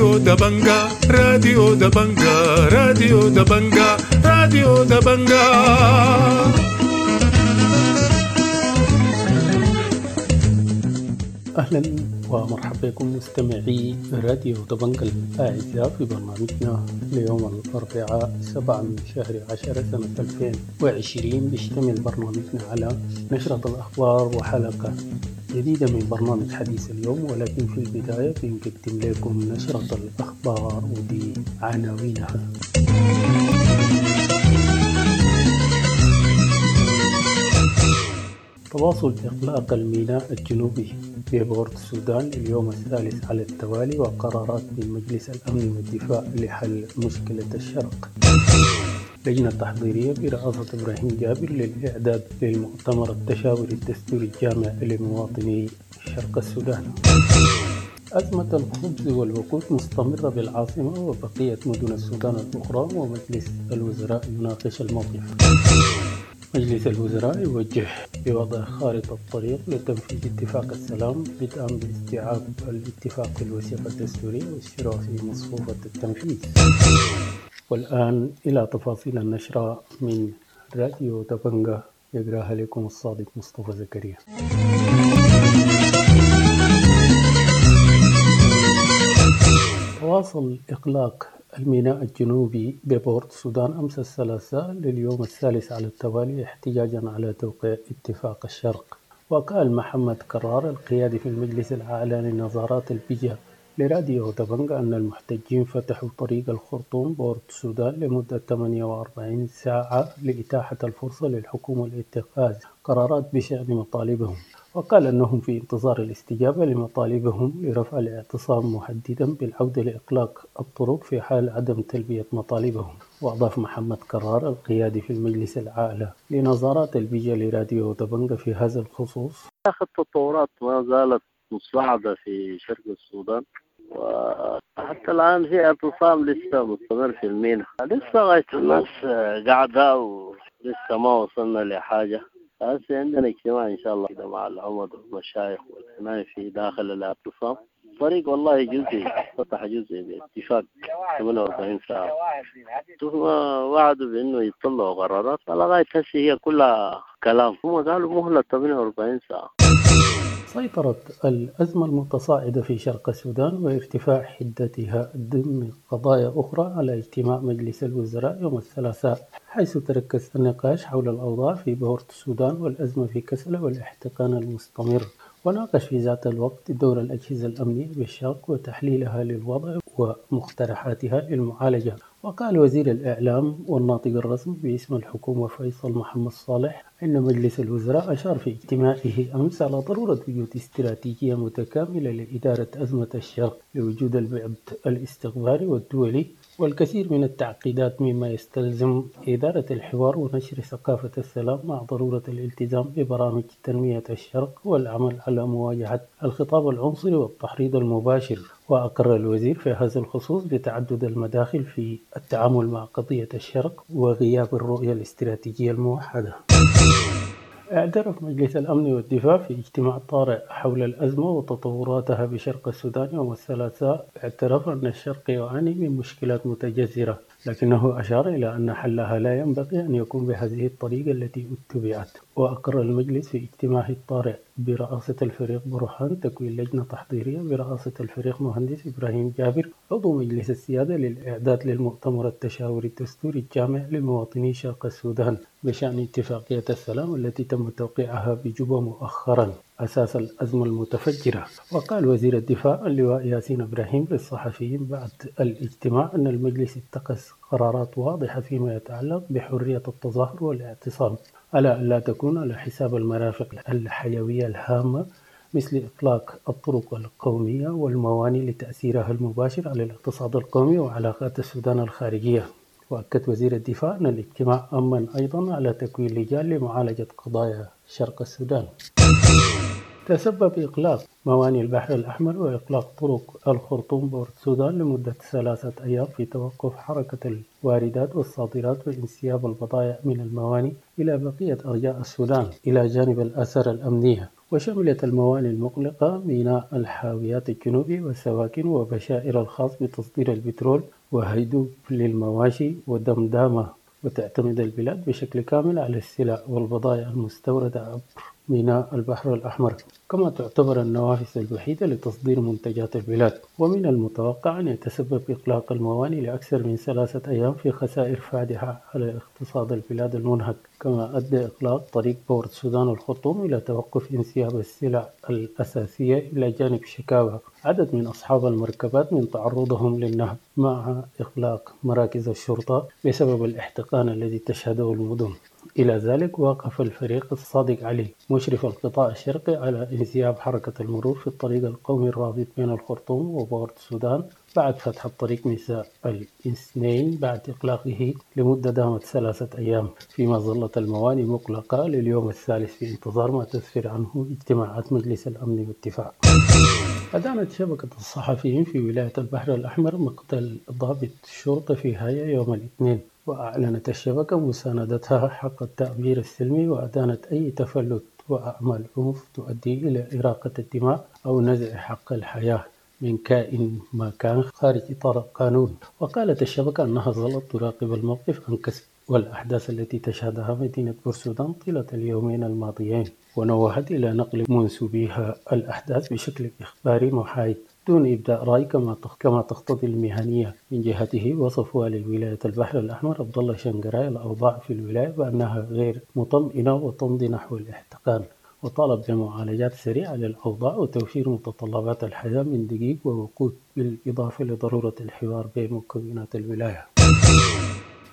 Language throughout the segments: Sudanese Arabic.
راديو دبنجا، راديو دبنجا، راديو دبنجا، راديو دبنجا. أهلا ومرحبا بكم مستمعي راديو دبنجا الأعزاء في برنامجنا ليوم الأربعاء 7 من شهر 10 سنة 2020. بيشتمل برنامجنا على نشرة الأخبار وحلقة جديدة من برنامج حديث اليوم، ولكن في البداية بنقدم لكم نشرة الأخبار ودي عناوينها. تواصل إغلاق الميناء الجنوبي ببورت السودان اليوم الثالث على التوالي، وقرارات من مجلس الأمن والدفاع لحل مشكلة الشرق. لجنة تحضيرية برئاسة إبراهيم جابر للإعداد للمؤتمر التشاوري الدستوري الجامع لمواطني شرق السودان. أزمة الخبز والوقود مستمرة بالعاصمة وبقية مدن السودان الأخرى، ومجلس الوزراء يناقش الموقف. مجلس الوزراء يوجه بوضع خارطة طريق لتنفيذ اتفاق السلام بدءا باستيعاب الاتفاق في الوثيقة الدستورية والشروع في مصفوفة التنفيذ. والآن إلى تفاصيل النشرة من راديو دبنجا، يقراها لكم الصادق مصطفى زكريا. تواصل إغلاق الميناء الجنوبي ببورت السودان أمس الثلاثاء لليوم الثالث على التوالي احتجاجا على توقيع اتفاق الشرق. وقال محمد كرار القيادي في المجلس الأعلى لنظارات البجا لراديو دبنجا أن المحتجين فتحوا طريق الخرطوم بورت السودان لمدة 48 ساعة لإتاحة الفرصة للحكومة لاتخاذ قرارات بشأن مطالبهم. وقال أنهم في انتظار الاستجابة لمطالبهم لرفع الاعتصام مهددا بالعودة لإغلاق الطرق في حال عدم تلبية مطالبهم. وأضاف محمد كرار القيادي في المجلس الأعلى لنظارات البجا لراديو دبنجا في هذا الخصوص: التطورات ما زالت متصاعدة في شرق السودان، وحتى الآن في اعتصام لسه مستمر في الميناء، لسه غاية الناس قاعدة ولسه ما وصلنا لحاجة. هسه عندنا اجتماع إن شاء الله كده مع العمد والمشايخ والحماية في داخل الاعتصام. الطريق والله جزئي فتح جزئي باتفاق 48 ساعة، ثم وعدوا بأنه يطلعوا قرارات، لغاية هسه هي كلها كلام، هم قالوا مهلة 48 ساعة. سيطرت الأزمة المتصاعدة في شرق السودان وارتفاع حدتها ضمن قضايا أخرى على اجتماع مجلس الوزراء يوم الثلاثاء، حيث تركز النقاش حول الأوضاع في بورت السودان والأزمة في كسلة والاحتقان المستمر. وناقش في ذات الوقت دور الأجهزة الأمنية بالشرق وتحليلها للوضع ومقترحاتها للمعالجة. وقال وزير الإعلام والناطق الرسمي باسم الحكومة فيصل محمد صالح إن مجلس الوزراء أشار في اجتماعه أمس على ضرورة وجود استراتيجية متكاملة لإدارة أزمة الشرق لوجود البعد الاستخباري والدولي والكثير من التعقيدات، مما يستلزم إدارة الحوار ونشر ثقافة السلام مع ضرورة الالتزام ببرامج تنمية الشرق والعمل على مواجهة الخطاب العنصري والتحريض المباشر. وأقر الوزير في هذا الخصوص بتعدد المداخل في التعامل مع قضية الشرق وغياب الرؤية الاستراتيجية الموحدة. اعترف مجلس الأمن والدفاع في اجتماع طارئ حول الأزمة وتطوراتها بشرق السودان يوم الثلاثاء، اعترف أن الشرق يعاني من مشكلات متجذرة، لكنه أشار إلى أن حلها لا ينبغي أن يكون بهذه الطريقة التي اتبعت. وأقر المجلس في اجتماعه الطارئ برئاسة الفريق برهان تكوين لجنة تحضيرية برئاسة الفريق مهندس إبراهيم جابر عضو مجلس السيادة للإعداد للمؤتمر التشاوري الدستوري الجامع لمواطني شرق السودان بشأن اتفاقية السلام التي تم توقيعها بجوبا مؤخرا أساس الأزمة المتفجرة. وقال وزير الدفاع اللواء ياسين إبراهيم للصحفيين بعد الاجتماع أن المجلس اتخذ قرارات واضحة فيما يتعلق بحرية التظاهر والاعتصام، على أن لا تكون على حساب المرافق الحيوية الهامة مثل إطلاق الطرق القومية والموانئ لتأثيرها المباشر على الاقتصاد القومي وعلاقات السودان الخارجية. وأكد وزير الدفاع أن الاجتماع أمن أيضا على تكوين لجان لمعالجة قضايا شرق السودان. تسبب إغلاق موانئ البحر الأحمر وإغلاق طرق الخرطوم بورت السودان لمدة 3 أيام في توقف حركة الواردات والصادرات وانسياب البضائع من الموانئ إلى بقية أرجاء السودان، إلى جانب الآثار الأمنية. وشملت الموانئ المغلقة ميناء الحاويات الجنوبي والسواكن وبشائر الخاص بتصدير البترول وهيدوب للمواشي ودمدامة. وتعتمد البلاد بشكل كامل على السلع والبضائع المستوردة عبر ميناء البحر الأحمر، كما تعتبر النوافذ الوحيدة لتصدير منتجات البلاد. ومن المتوقع أن يتسبب إغلاق الموانئ لأكثر من 3 أيام في خسائر فادحة على اقتصاد البلاد المنهك، كما أدى إغلاق طريق بورت السودان الخرطوم إلى توقف انسياب السلع الأساسية، إلى جانب شكاوى عدد من أصحاب المركبات من تعرضهم للنهب مع إغلاق مراكز الشرطة بسبب الاحتقان الذي تشهده المدن. إلى ذلك وقف الفريق الصادق علي مشرف القطاع الشرقي على انسياب حركة المرور في الطريق القومي الرابط بين الخرطوم وبورت السودان بعد فتح الطريق مساء الاثنين بعد إغلاقه لمدة دامت 3 أيام، فيما ظلت الموانئ مغلقة لليوم الثالث في انتظار ما تسفر عنه اجتماعات مجلس الأمن والدفاع. أدانت شبكة الصحفيين في ولاية البحر الأحمر مقتل ضابط الشرطة في هايا يوم الاثنين، وأعلنت الشبكة مساندتها حق التعبير السلمي، وأدانت أي تفلت وأعمال عنف تؤدي إلى إراقة الدماء أو نزع حق الحياة من كائن ما كان خارج إطار القانون. وقالت الشبكة أنها ظلت تراقب الموقف عن كثب والأحداث التي تشهدها مدينة بورسودان طيلة اليومين الماضيين، ونوهت إلى نقل منسوبيها الأحداث بشكل إخباري محايد دون إبداء رأي كما تقتضي المهنية. من جهته وصف والي ولاية البحر الأحمر عبد الله شنقراي الأوضاع في الولاية بأنها غير مطمئنة وتمضي نحو الاحتقان، وطالب بمعالجات سريعة للأوضاع وتوفير متطلبات الحياة من دقيق ووقود، بالإضافة لضرورة الحوار بين مكونات الولاية.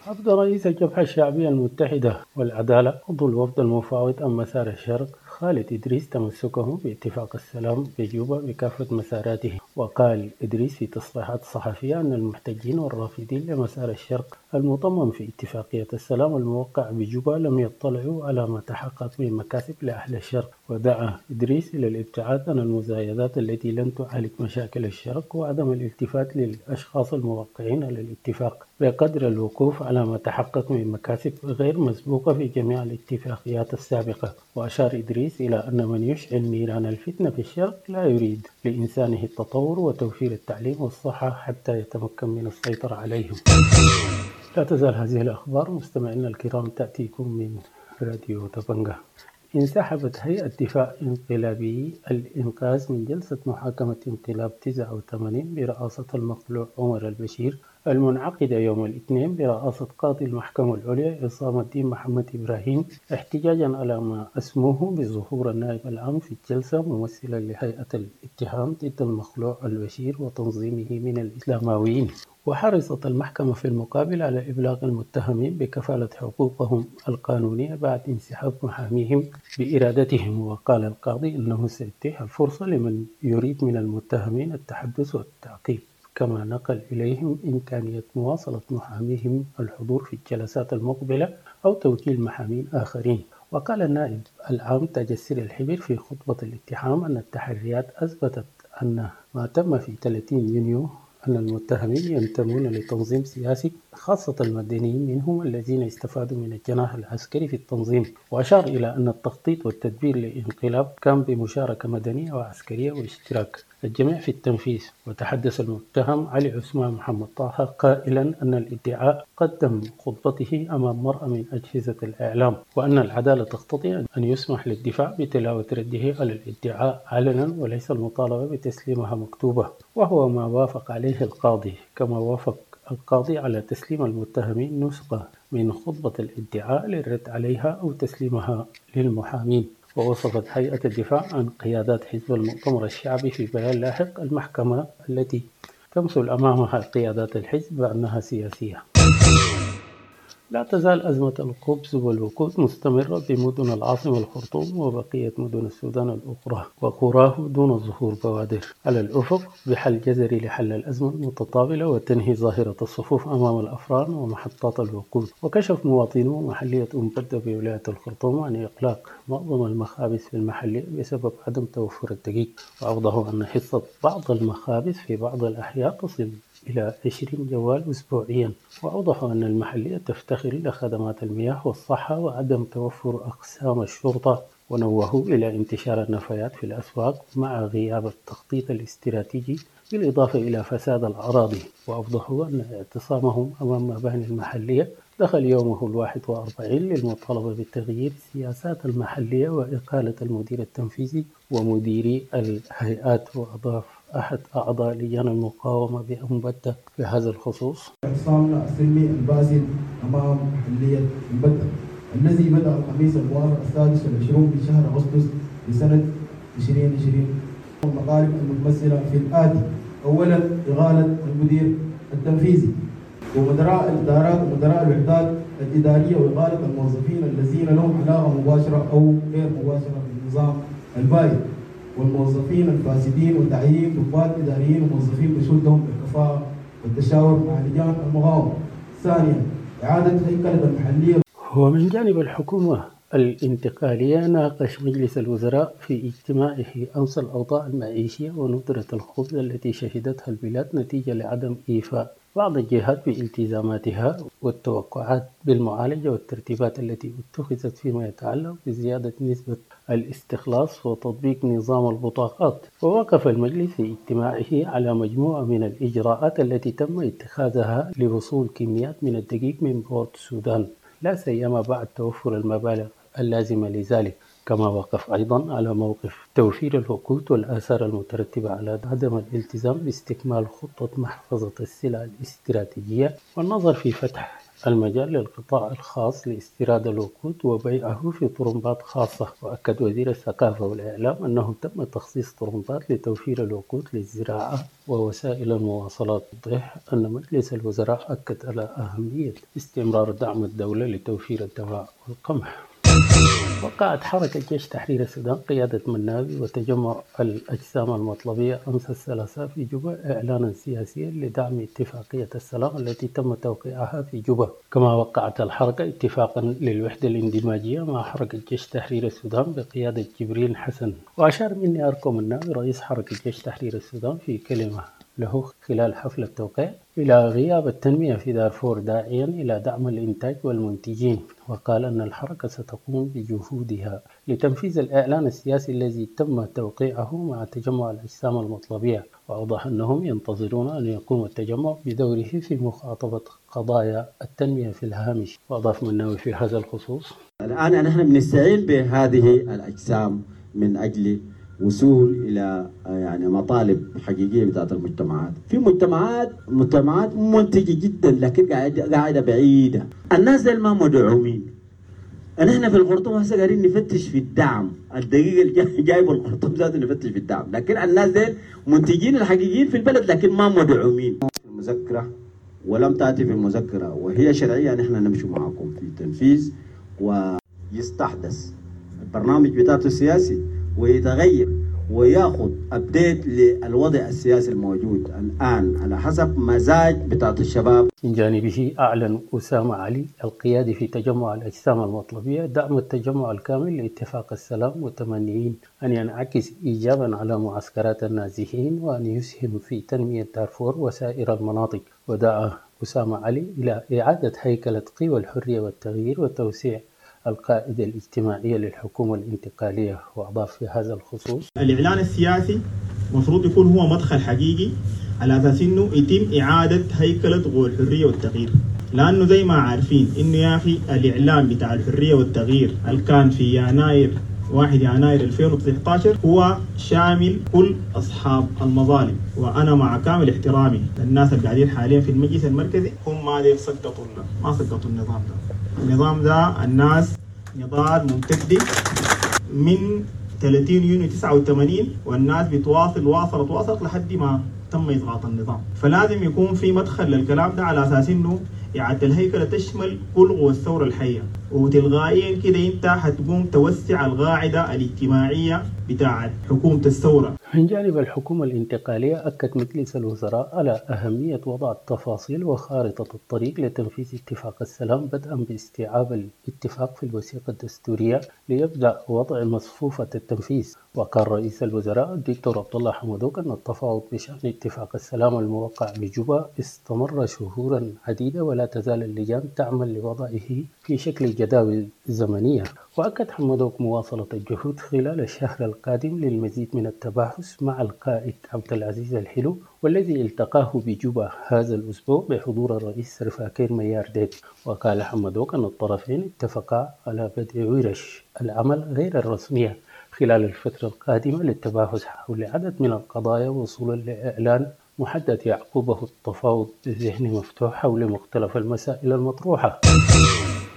عبد رئيس الجبهة الشعبية المتحدة والعدالة عضو الوفد المفاوض عن مسار الشرق خالد إدريس تمسكه باتفاق السلام بجوبا بكافة مساراته. وقال إدريس في تصريحات صحفية أن المحتجين والرافضين لمسار الشرق المضمن في اتفاقية السلام الموقع بجوبا لم يطلعوا على ما تحقق من مكاسب لأهل الشرق. ودعا إدريس إلى الابتعاد عن المزايدات التي لن تعالج مشاكل الشرق وعدم الالتفات للأشخاص الموقعين على الاتفاق بقدر الوقوف على ما تحقق من مكاسب غير مسبوقة في جميع الاتفاقيات السابقة. وأشار إدريس إلى أن من يشعل نيران الفتنة في الشرق لا يريد لإنسانه التطور وتوفير التعليم والصحة حتى يتمكن من السيطرة عليهم. لا تزال هذه الأخبار مستمعينا الكرام تأتيكم من راديو دبنجة. انسحبت هيئة دفاع انقلابي الإنقاذ من جلسة محاكمة انقلاب 89 برئاسة المقلوع عمر البشير المنعقدة يوم الاثنين برئاسة قاضي المحكمة العليا عصام الدين محمد إبراهيم، احتجاجا على ما أسموه بظهور النائب العام في الجلسة ممثلا لهيئة الاتهام ضد المخلوع البشير وتنظيمه من الإسلامويين. وحرصت المحكمة في المقابل على إبلاغ المتهمين بكفالة حقوقهم القانونية بعد انسحاب محاميهم بإرادتهم. وقال القاضي إنه سيتيح الفرصة لمن يريد من المتهمين التحدث والتعقيب، كما نقل إليهم إمكانية مواصلة محاميهم الحضور في الجلسات المقبلة أو توكيل محامين آخرين. وقال النائب العام تاج السر الحبير في خطبة الاتهام أن التحريات أثبتت أن ما تم في 30 يونيو أن المتهمين ينتمون لتنظيم سياسي، خاصة المدنيين منهم الذين استفادوا من الجناح العسكري في التنظيم. وأشار إلى أن التخطيط والتدبير للانقلاب كان بمشاركة مدنية وعسكرية واشتراك الجميع في التنفيذ. وتحدث المتهم علي عثمان محمد طه قائلا أن الادعاء قدم خطبته أمام مرأة من أجهزة الإعلام، وأن العدالة تقتضي أن يسمح للدفاع بتلاوة رده على الادعاء علنا وليس المطالبة بتسليمها مكتوبة، وهو ما وافق عليه القاضي. كما وافق القاضي على تسليم المتهمين نسخة من خطبة الادعاء للرد عليها أو تسليمها للمحامين. ووصفت هيئة الدفاع عن قيادات حزب المؤتمر الشعبي في بيان لاحق المحكمة التي تمثل أمامها قيادات الحزب بأنها سياسية. لا تزال أزمة الخبز والوقود مستمرة بمدن العاصمة الخرطوم وبقية مدن السودان الأخرى وقراه دون ظهور بوادر على الأفق بحل جذري لحل الأزمة المتطاولة وتنهي ظاهرة الصفوف أمام الأفران ومحطات الوقود. وكشف مواطنو محلية أم بدة بولاية الخرطوم عن إغلاق معظم المخابز في المحلية بسبب عدم توفر الدقيق، وأوضحوا أن حصة بعض المخابز في بعض الأحياء تصل إلى 20 جوال أسبوعيا. وأوضحوا أن المحلية تفتخر إلى خدمات المياه والصحة وعدم توفر أقسام الشرطة ونوهوا إلى انتشار النفايات في الأسواق مع غياب التخطيط الاستراتيجي، بالإضافة إلى فساد الأراضي. وأوضحوا أن اعتصامهم أمام مباني المحلية دخل يومه 41 للمطالبة بتغيير السياسات المحلية وإقالة المدير التنفيذي ومديري الهيئات. وأضاف أحد أعضاء لجان المقاومة بأمبدة في هذا الخصوص: اعتصامنا السلمي الباسل أمام محلية أمبدة الذي بدأ الخميس الموافق 26 من شهر أغسطس لسنة 2020، المطالب المتمثلة في الآتي: أولا، إغالة المدير التنفيذي ومدراء الإدارات ومدراء الوحدات الإدارية وإقالة الموظفين الذين لهم علاقة مباشرة أو غير مباشرة بالنظام البائد والموظفين الفاسدين، وتعيين ضباط إداريين وموظفين مشهود لهم بالكفاءة والتشاور مع لجان المقاومة. ثانيا، إعادة هيكلة المحلية. ومن جانب الحكومة الانتقالية، ناقش مجلس الوزراء في اجتماعه أمس الأوضاع المعيشية وندرة الخبز التي شهدتها البلاد نتيجة لعدم إيفاء بعض الجهات بالتزاماتها والتوقعات بالمعالجة والترتيبات التي اتخذت فيما يتعلق بزيادة نسبة الاستخلاص وتطبيق نظام البطاقات. ووقف المجلس في اجتماعه على مجموعة من الإجراءات التي تم اتخاذها لوصول كميات من الدقيق من بورت السودان، لا سيما بعد توفر المبالغ اللازمة لذلك. كما وقف أيضا على موقف توفير الوقود والآثار المترتبة على عدم الالتزام باستكمال خطة محفظة السلع الاستراتيجية والنظر في فتح المجال للقطاع الخاص لاستيراد الوقود وبيعه في طرمبات خاصة. وأكد وزير الثقافة والإعلام أنه تم تخصيص طرمبات لتوفير الوقود للزراعة ووسائل المواصلات. توضح أن مجلس الوزراء أكد على أهمية استمرار دعم الدولة لتوفير الدواء والقمح. وقعت حركة جيش تحرير السودان قيادة مناوي وتجمع الأجسام المطلبية أمس الثلاثاء في جوبا إعلانا سياسيا لدعم اتفاقية السلام التي تم توقيعها في جوبا. كما وقعت الحركة اتفاقا للوحدة الاندماجية مع حركة جيش تحرير السودان بقيادة جبريل حسن. وأشار مني أركو مناوي رئيس حركة جيش تحرير السودان في كلمة له خلال حفل التوقيع إلى غياب التنمية في دارفور، داعيا إلى دعم الإنتاج والمنتجين. وقال أن الحركة ستقوم بجهودها لتنفيذ الإعلان السياسي الذي تم توقيعه مع تجمع الأجسام المطلبية. وأوضح أنهم ينتظرون أن يقوم التجمع بدوره في مخاطبة قضايا التنمية في الهامش. وأضاف مناوي في هذا الخصوص: الآن نحن بنستعين بهذه الأجسام من أجل وصول الى يعني مطالب حقيقيه بتاعت المجتمعات. في مجتمعات منتجه جدا لكن قاعده بعيده، الناس ديل ما مدعومين. نحن في الخرطوم هسه قاعدين نفتش في الدعم، الدقيقه اللي جايبه الخرطوم ذاته نفتش في الدعم، لكن الناس ديل منتجين الحقيقيين في البلد لكن ما مدعومين. المذكره ولم تاتي في المذكره وهي شرعيه، نحن نمشي معكم في التنفيذ. ويستحدث البرنامج بتاعته السياسي ويتغير وياخذ ابديت للوضع السياسي الموجود الان على حسب مزاج بتاعت الشباب. من جانبه اعلن اسامه علي القيادي في تجمع الاجسام المطلبيه دعم التجمع الكامل لاتفاق السلام، متمنيين ان ينعكس ايجابا على معسكرات النازحين وان يسهم في تنميه دارفور وسائر المناطق. ودعا اسامه علي الى اعاده هيكله قوى الحريه والتغيير وتوسيع القاعدة الاجتماعية للحكومة الانتقالية. وأضاف في هذا الخصوص: الإعلان السياسي مفروض يكون هو مدخل حقيقي على أساس إنه يتم إعادة هيكلة قوى الحرية والتغيير، لأنه زي ما عارفين إنه يا أخي الإعلان بتاع الحرية والتغيير اللي كان في يناير 1 يناير 2019 هو شامل كل أصحاب المظالم. وأنا مع كامل احترامي للناس اللي قاعدين حاليا في المجلس المركزي، هم ما سقطوا ما سقطوا النظام ده. النظام ده الناس نضال ممتد من 30 يونيو 89 والناس بتواصل واصلت لحد ما تم إسقاط النظام. فلازم يكون في مدخل للكلام ده على أساس إنه إعادة الهيكلة تشمل كل قوى الثورة الحية، وتلقائيا كده أنت حتقوم توسع القاعدة الاجتماعية بتاعت حكومة الثورة. من جانب الحكومة الانتقالية، أكد مجلس الوزراء على أهمية وضع التفاصيل وخارطة الطريق لتنفيذ اتفاق السلام، بدءا باستيعاب الاتفاق في الوثيقة الدستورية ليبدأ وضع مصفوفة التنفيذ. وقال رئيس الوزراء الدكتور عبد الله حمدوك أن التفاوض بشأن اتفاق السلام الموقع بجوبا استمر شهورا عديدة، ولا تزال اللجان تعمل لوضعه في شكل جداول زمنية. وأكد حمدوك مواصلة الجهود خلال الشهر القادم للمزيد من التباحث مع القائد عبد العزيز الحلو، والذي التقاه بجوبا هذا الأسبوع بحضور الرئيس سلفاكير ميارديت. وقال حمدوك أن الطرفين اتفقا على بدء ورش العمل غير الرسمية خلال الفترة القادمة للتباحث حول عدد من القضايا وصولا لإعلان محدد يعقبه التفاوض بذهن مفتوح حول مختلف المسائل المطروحة.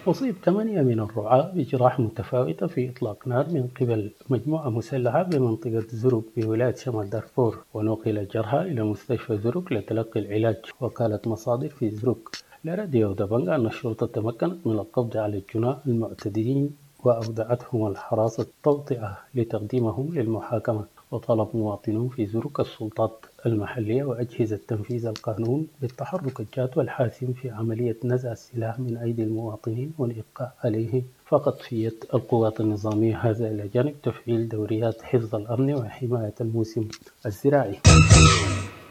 أصيب 8 من الرعاة بجراح متفاوتة في إطلاق نار من قبل مجموعة مسلحة بمنطقة زرق بولاية شمال دارفور، ونقل الجرحى إلى مستشفى زرق لتلقي العلاج. وقالت مصادر في زرق لراديو دبنجا أن الشرطة تمكنت من القبض على الجناة المعتدين وأودعتهم الحراسة التوطئة لتقديمهم للمحاكمة. وطلب مواطنون في زرق السلطات المحلية وأجهزة تنفيذ القانون بالتحرك الجاد والحاسم في عملية نزع السلاح من أيدي المواطنين والإبقاء عليه فقط في يد القوات النظامية، هذا إلى جانب تفعيل دوريات حفظ الأمن وحماية الموسم الزراعي.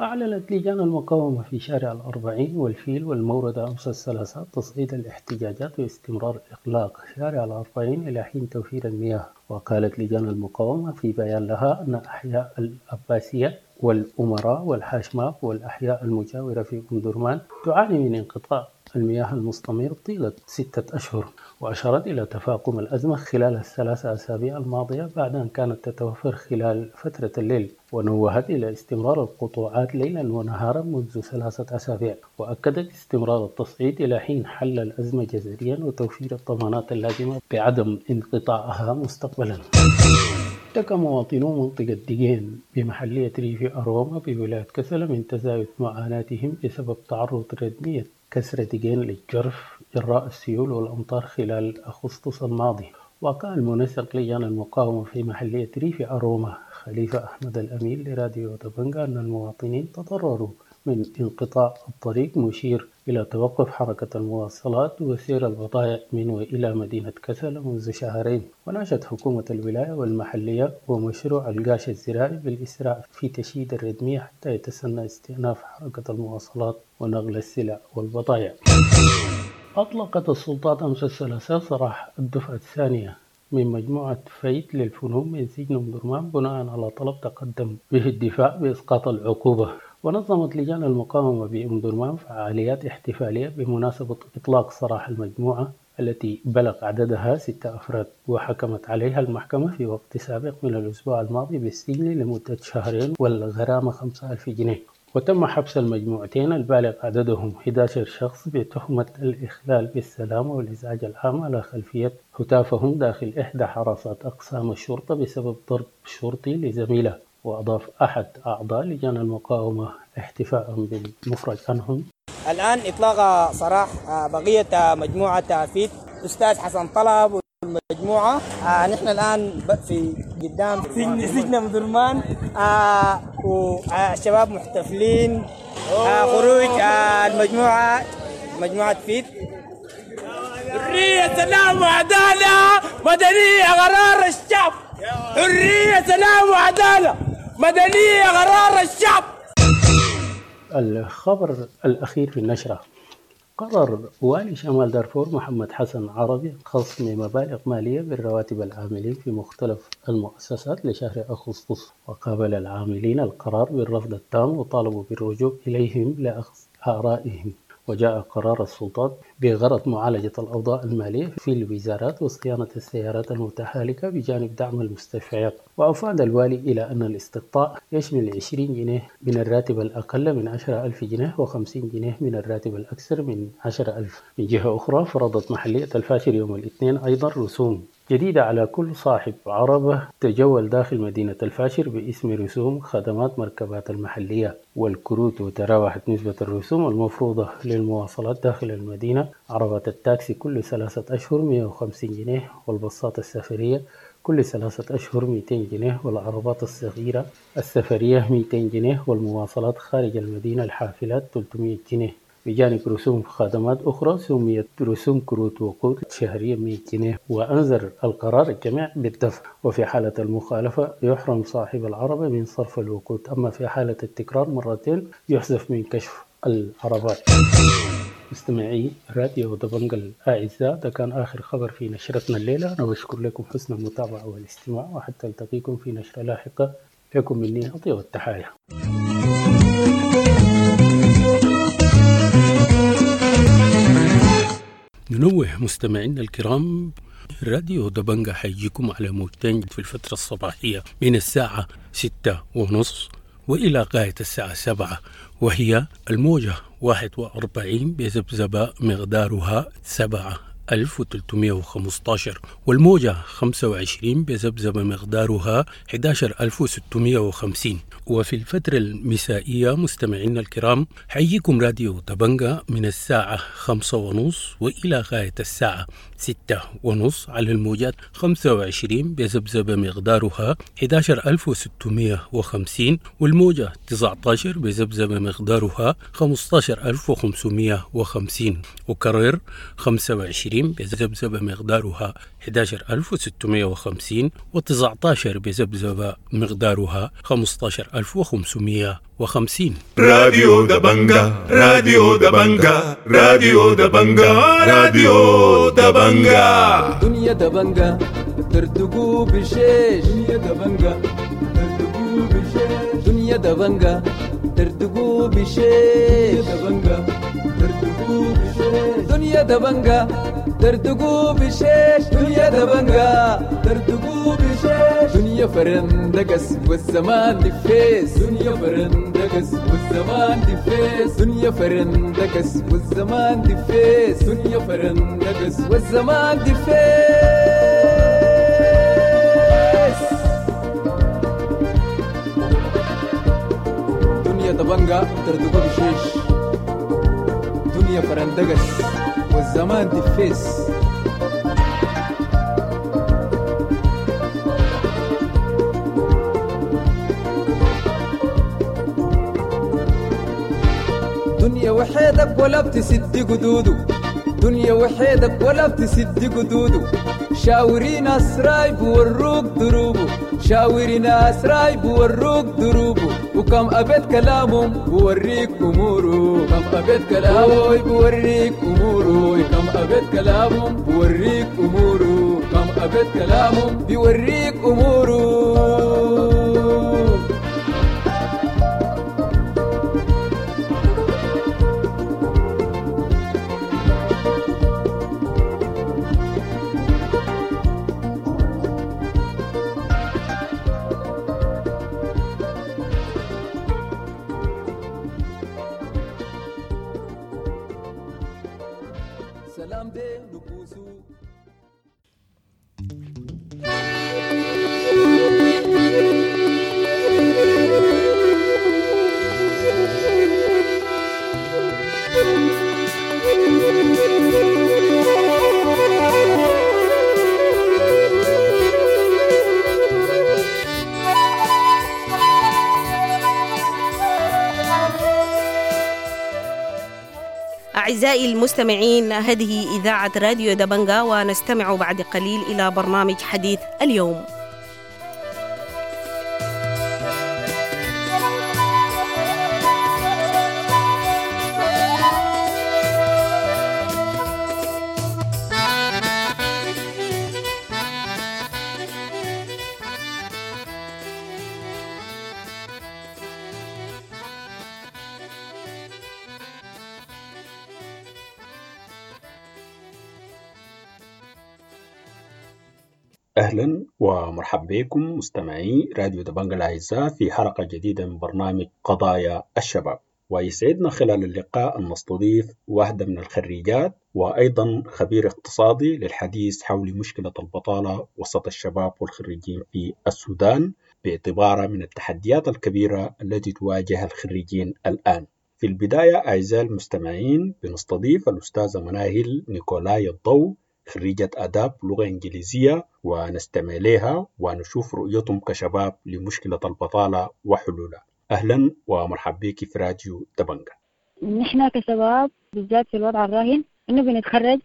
أعلنت لجان المقاومة في شارع الأربعين والفيل والموردة أمس الثلاثاء تصعيد الاحتجاجات واستمرار إغلاق شارع الأربعين إلى حين توفير المياه. وقالت لجان المقاومة في بيان لها أن أحياء العباسية والأمراء والحاشماب والأحياء المجاورة في أم درمان تعاني من انقطاع المياه المستمر طيلة 6 أشهر، وأشارت إلى تفاقم الأزمة خلال ال3 أسابيع الماضية بعد أن كانت تتوفر خلال فترة الليل، ونوهت إلى استمرار القطوعات ليلا ونهارا منذ 3 أسابيع، وأكدت استمرار التصعيد إلى حين حل الأزمة جذريا وتوفير الضمانات اللازمة بعدم انقطاعها مستقبلا. اشتكى مواطنو منطقة ديجين بمحلية ريف أروما بولاية كسلا من تزايد معاناتهم بسبب تعرض ردمية كسر ديجين للجرف جراء السيول والأمطار خلال أغسطس الماضي. وقال منسق لجان المقاومة في محلية ريف أروما خليفة أحمد الأمين لراديو دبنجا أن المواطنين تضرروا من انقطاع الطريق، مشير إلى توقف حركة المواصلات وسير البضائع من وإلى مدينة كسلا منذ شهرين. وناشد حكومة الولاية والمحلية ومشروع القاش الزراعي بالإسراع في تشييد الردمية حتى يتسنى استئناف حركة المواصلات ونقل السلع والبضائع. أطلقت السلطات أمس الثلاثاء سراح الدفعة الثانية من مجموعة فايت للفنون من سجن أم درمان بناء على طلب تقدم به الدفاع بإسقاط العقوبة. ونظمت لجان المقاومة بأم درمان فعاليات احتفالية بمناسبة إطلاق سراح المجموعة التي بلغ عددها 6 أفراد، وحكمت عليها المحكمة في وقت سابق من الأسبوع الماضي بالسجن لمدة شهرين والغرامة 5000 جنيه. وتم حبس المجموعتين البالغ عددهم 11 شخص بتهمة الإخلال بالسلام والإزعاج العام على خلفية هتافهم داخل إحدى حراسات أقسام الشرطة بسبب ضرب شرطي لزميله. وأضاف أحد أعضاء لجان المقاومة احتفاء بالمفرج عنهم: الآن إطلاق سراح بقية مجموعة فيت أستاذ حسن طلب والمجموعة. نحن الآن في قدام سجن أم درمان، والشباب محتفلين خروج المجموعة مجموعة فيت. حرية سلام وعدالة مدنية قرار الشعب، حرية سلام وعدالة مدنية قرار الشعب. الخبر الأخير في النشرة: قرر والي شمال دارفور محمد حسن عربي خصم مبالغ مالية بالرواتب العاملين في مختلف المؤسسات لشهر أغسطس، وقابل العاملين القرار بالرفض التام وطالبوا بالرجوع إليهم لأخذ آرائهم. وجاء قرار السلطات بغرض معالجة الأوضاع المالية في الوزارات وصيانة السيارات المتهالكة بجانب دعم المستشفيات. وأفاد الوالي إلى أن الاستقطاع يشمل 20 جنيه من الراتب الأقل من 10,000 جنيه و50 جنيه من الراتب الأكثر من 10,000. من جهة أخرى، فرضت محلية الفاشر يوم الاثنين أيضا رسوم جديدة على كل صاحب عربة تجول داخل مدينة الفاشر باسم رسوم خدمات مركبات المحلية والكروت. وتراوحت نسبة الرسوم المفروضة للمواصلات داخل المدينة عربات التاكسي كل 3 أشهر 150 جنيه، والباصات السفرية كل 3 أشهر 200 جنيه، والعربات الصغيرة السفرية 200 جنيه، والمواصلات خارج المدينة الحافلات 300 جنيه، بجانب رسوم خدمات أخرى سميت رسوم كروت وقود شهرية 100 جنيه. وأنذر القرار الجميع بالدفع، وفي حالة المخالفة يحرم صاحب العربة من صرف الوقود، أما في حالة التكرار مرتين يحذف من كشف العربات. مستمعي راديو دبنجا الأعزاء، ده كان آخر خبر في نشرتنا الليلة. أنا بشكر لكم حسن المتابعة والاستماع، وحتى ألتقيكم في نشرة لاحقة. لكم مني أطيب التحايا. ننوه مستمعينا الكرام، راديو دبنجا حيجيكم على موجتين في الفترة الصباحية من الساعة 6:30 وإلى غاية الساعة 7، وهي الموجة 41 بذبذبة مقدارها 7315، والموجة 25 بذبذبة مقدارها 11650. وفي الفترة المسائية مستمعينا الكرام حيجيكم راديو دبنجا من الساعة 5:30 وإلى غاية الساعة 6:30 على الموجات 25 بذبذبة مقدارها 11650، والموجة 19 بذبذبة مقدارها 15550. وكرر 25 بذبذبة مقدارها 11650، و19 بذبذبة مقدارها 15550. راديو دبنجا، راديو دبنجا، راديو دبنجا، راديو دبنجا. دنيا دبنجا ترتقو بشيش، دنيا دبنجا ترتقو بشيش، دنيا دبنجا ترتقو بشيش، دبنجا ترتقو بشيش، دنيا دبنجا ترتقو بشيش، دنيا دبنجا ترتقو بشيش، دنيا فرندقس والزمان دفيس، دنيا فرندقس والزمان دفيس، دنيا فرندقس والزمان دفيس، دنيا فرندقس والزمان دفيس. دنيا دبنجا ترتقو بشيش، دنيا فرندقس والزمان دفيس. دنيا وحيدك ولا بتسد قدوده، دنيا وحيدك ولا بتسد قدوده، شاوري ناس رايب وروك دروبه، شاوري ناس رايب وروك دروبه، وكم أبيت كلامهم بوريك أموره، كم أبيت كلامه بوريك أموره، كم أبيت كلامهم بوريك أموره، كم أبيت كلامهم بيوريك أموره. أعزائي المستمعين، هذه إذاعة راديو دبنجا، ونستمع بعد قليل إلى برنامج حديث اليوم. أهلا ومرحبا بكم مستمعي راديو دبنجا الأعزاء في حلقة جديدة من برنامج قضايا الشباب، ويسعدنا خلال اللقاء أن نستضيف واحدة من الخريجات وأيضا خبير اقتصادي للحديث حول مشكلة البطالة وسط الشباب والخريجين في السودان باعتبارها من التحديات الكبيرة التي تواجه الخريجين الآن. في البداية أعزائي المستمعين بنستضيف الأستاذة مناهل نيكولاي الضو، خريجة آداب لغة إنجليزية، ونستمع لها ونشوف رؤيتهم كشباب لمشكلة البطالة وحلولها. أهلا ومرحبا بك في راديو دبنجا. نحن كشباب بالذات في الوضع الراهن إنه بنتخرج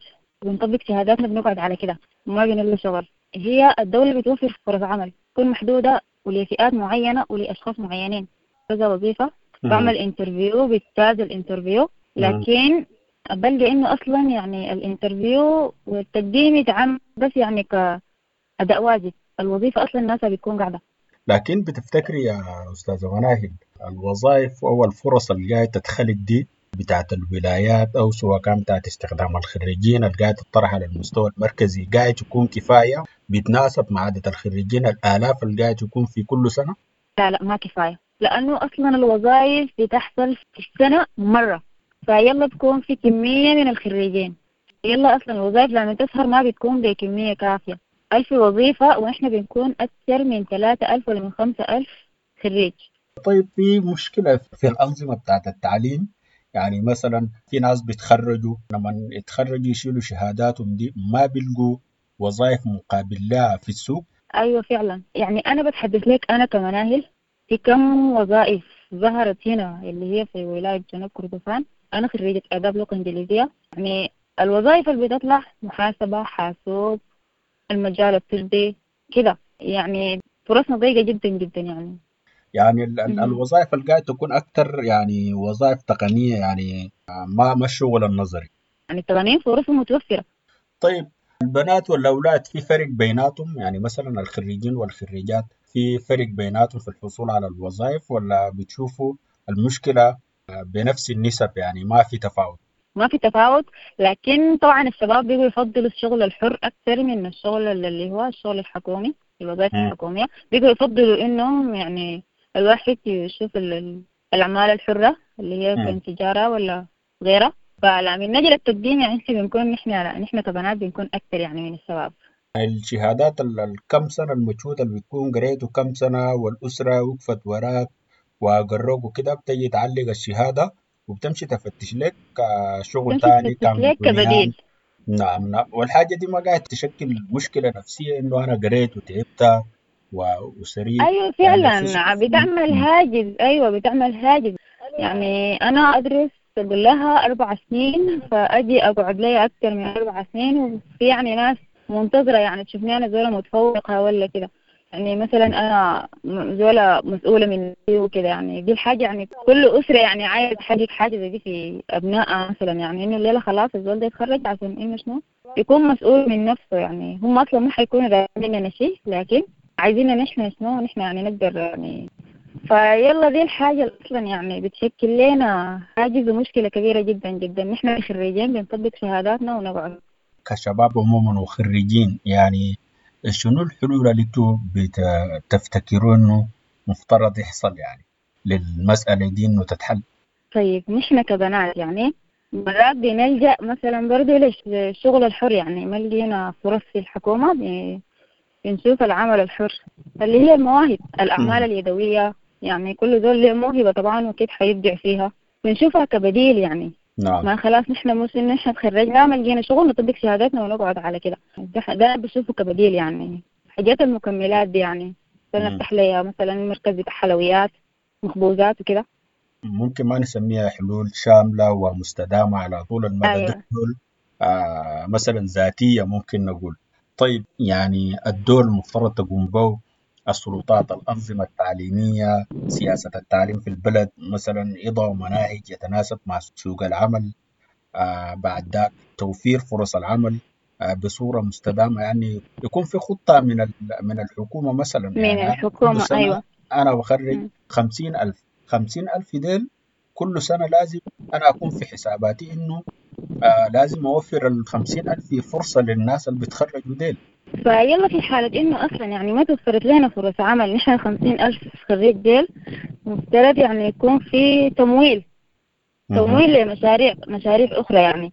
بنطبق شهاداتنا بنقعد على كده وما بنلقى شغل. هي الدولة بتوفر فرص عمل تكون محدودة ولفئات معينة ولأشخاص معينين. كذا وظيفة بعمل interview، بجتاز ال interview، لكن بلقى إنه أصلا يعني ال interview والتقديم يتعمل بس يعني كأداء واجب، الوظيفة أصلا الناس بتكون قاعدة. لكن بتفتكري يا أستاذة مناهل الوظائف أو الفرص اللي جاية تتخلق دي بتاعت الولايات أو سواء كان بتاعت استخدام الخريجين اللي قاعدة تطرح على المستوى المركزي قاعد تكون كفاية بيتناسب مع عدد الخريجين الآلاف اللي قاعد يكون في كل سنة؟ لا لا، ما كفاية، لأنه أصلا الوظائف بتحصل في السنة مرة، فيلا بكون في كمية من الخريجين. يلا أصلا الوظائف لما تظهر ما بتكون بكمية كافية. 1000 وظيفة وإحنا بنكون أكثر من 3000 ولا من 5000 خريج. طيب في مشكلة في الأنظمة بتاعت التعليم، يعني مثلا في ناس بيتخرجوا لما يتخرجوا يشيلوا شهاداتهم دي ما بيلقوا وظائف مقابل لها في السوق. أيوة فعلا، يعني أنا بتحدث لك أنا كمناهل في كم وظائف ظهرت هنا اللي هي في ولاية جنوب كردفان. أنا خريجة آداب لغة إنجليزية، يعني الوظائف اللي بتطلع محاسبة، حاسوب، المجال الطبي كده، يعني فرصنا ضيقة جدا جدا. يعني الوظائف اللي قاعدة تكون أكثر يعني وظائف تقنية، يعني ما الشغل النظري، يعني التقنيين فرصهم متوفرة. طيب البنات والأولاد في فرق بيناتهم؟ يعني مثلا الخريجين والخريجات في فرق بيناتهم في الحصول على الوظائف، ولا بتشوفوا المشكلة بنفس النسب يعني ما في تفاوت؟ ما في تفاوت، لكن طبعا الشباب بيجوا يفضلوا الشغل الحر أكثر من الشغل اللي هو الشغل الحكومي، الوظائف الحكومية. بيجوا يفضلوا إنهم يعني الواحد يشوف الأعمال الحرة اللي هي كان تجارة ولا غيرها. فلما نجي للتقديم يعني بنكون نحن كبنات بنكون أكثر يعني من الشباب. الشهادات الكم سنة المجهود اللي بتكون قريته كم سنة والأسرة وقفت وراك وقروك وكده، بتجي تعلق الشهادة وبتمشي تفتش لك شغل تاني كان كبديل. نعم نعم. والحاجة دي ما قاعد تشكل مشكلة نفسية إنه أنا قريت وتعبت وسريت؟ أيوة فعلا يعني بتعمل هاجز. أيوة بتعمل هاجز. يعني أنا أدرس أقول لها 4 سنين، فأجي أقعد لي أكثر من 4 سنين، وفي يعني ناس منتظرة يعني تشوفني أنا زولة متفوقة ولا كده، يعني مثلا أنا زولة مسؤولة من وكده. يعني دي الحاجة يعني كل أسرة يعني عايز تحقق حاجة زي دي في أبنائها مثلا، يعني إنه الليلة خلاص الزول ده يتخرج عشان إنه شنو يكون مسؤول من نفسه. يعني هم أصلا ما حيكونوا مننا شيء، لكن عايزيننا نحن شنو نحن يعني نقدر يعني. فيلا دي الحاجة أصلا يعني بتشكل لنا حاجز ومشكلة كبيرة جدا جدا. نحن خريجين بنطبق شهاداتنا ونقعد كشباب عموما وخريجين، يعني شنو الحلول اللي انتوا بتفتكروا انه مفترض يحصل يعني للمسألة دي انه تتحل؟ طيب نحن كبنات يعني مرات بنلجأ مثلا برضو للشغل الحر، يعني ما لقينا فرص في الحكومة بنشوف العمل الحر اللي هي المواهب، الأعمال اليدوية، يعني كل ذول له موهبة طبعا وكيف حيبدع فيها، بنشوفها كبديل يعني. نعم. ما خلاص نحن مش إن نحن تخرجنا ما لقينا شغل نطبق شهاداتنا ونقعد على كده، ده بشوفه كبديل. يعني حاجات المكملات دي يعني نفتح لي مثلا مركز بتاع حلويات مخبوزات وكده، ممكن ما نسميها حلول شاملة ومستدامة على طول المدى. أيوة. دي حلول مثلا ذاتية ممكن نقول. طيب يعني الدور المفترض تقوم به السلطات، الأنظمة التعليمية، سياسة التعليم في البلد، مثلا يضعوا مناهج يتناسب مع سوق العمل، بعد ذاك توفير فرص العمل بصورة مستدامة، يعني يكون في خطة من الحكومة مثلا. من يعني الحكومة. كل سنة أيوة. أنا بخرج 50,000، 50,000 ديل كل سنة لازم أنا أكون في حساباتي إنه لازم أوفر 50,000 فرصة للناس اللي بيتخرجوا ديل. فيلا في حالة إنه أصلا يعني ما توفرت لنا فرص عمل، نحن 50,000 خريج ديل مفترض يعني يكون في تمويل لمشاريع، مشاريع أخرى، يعني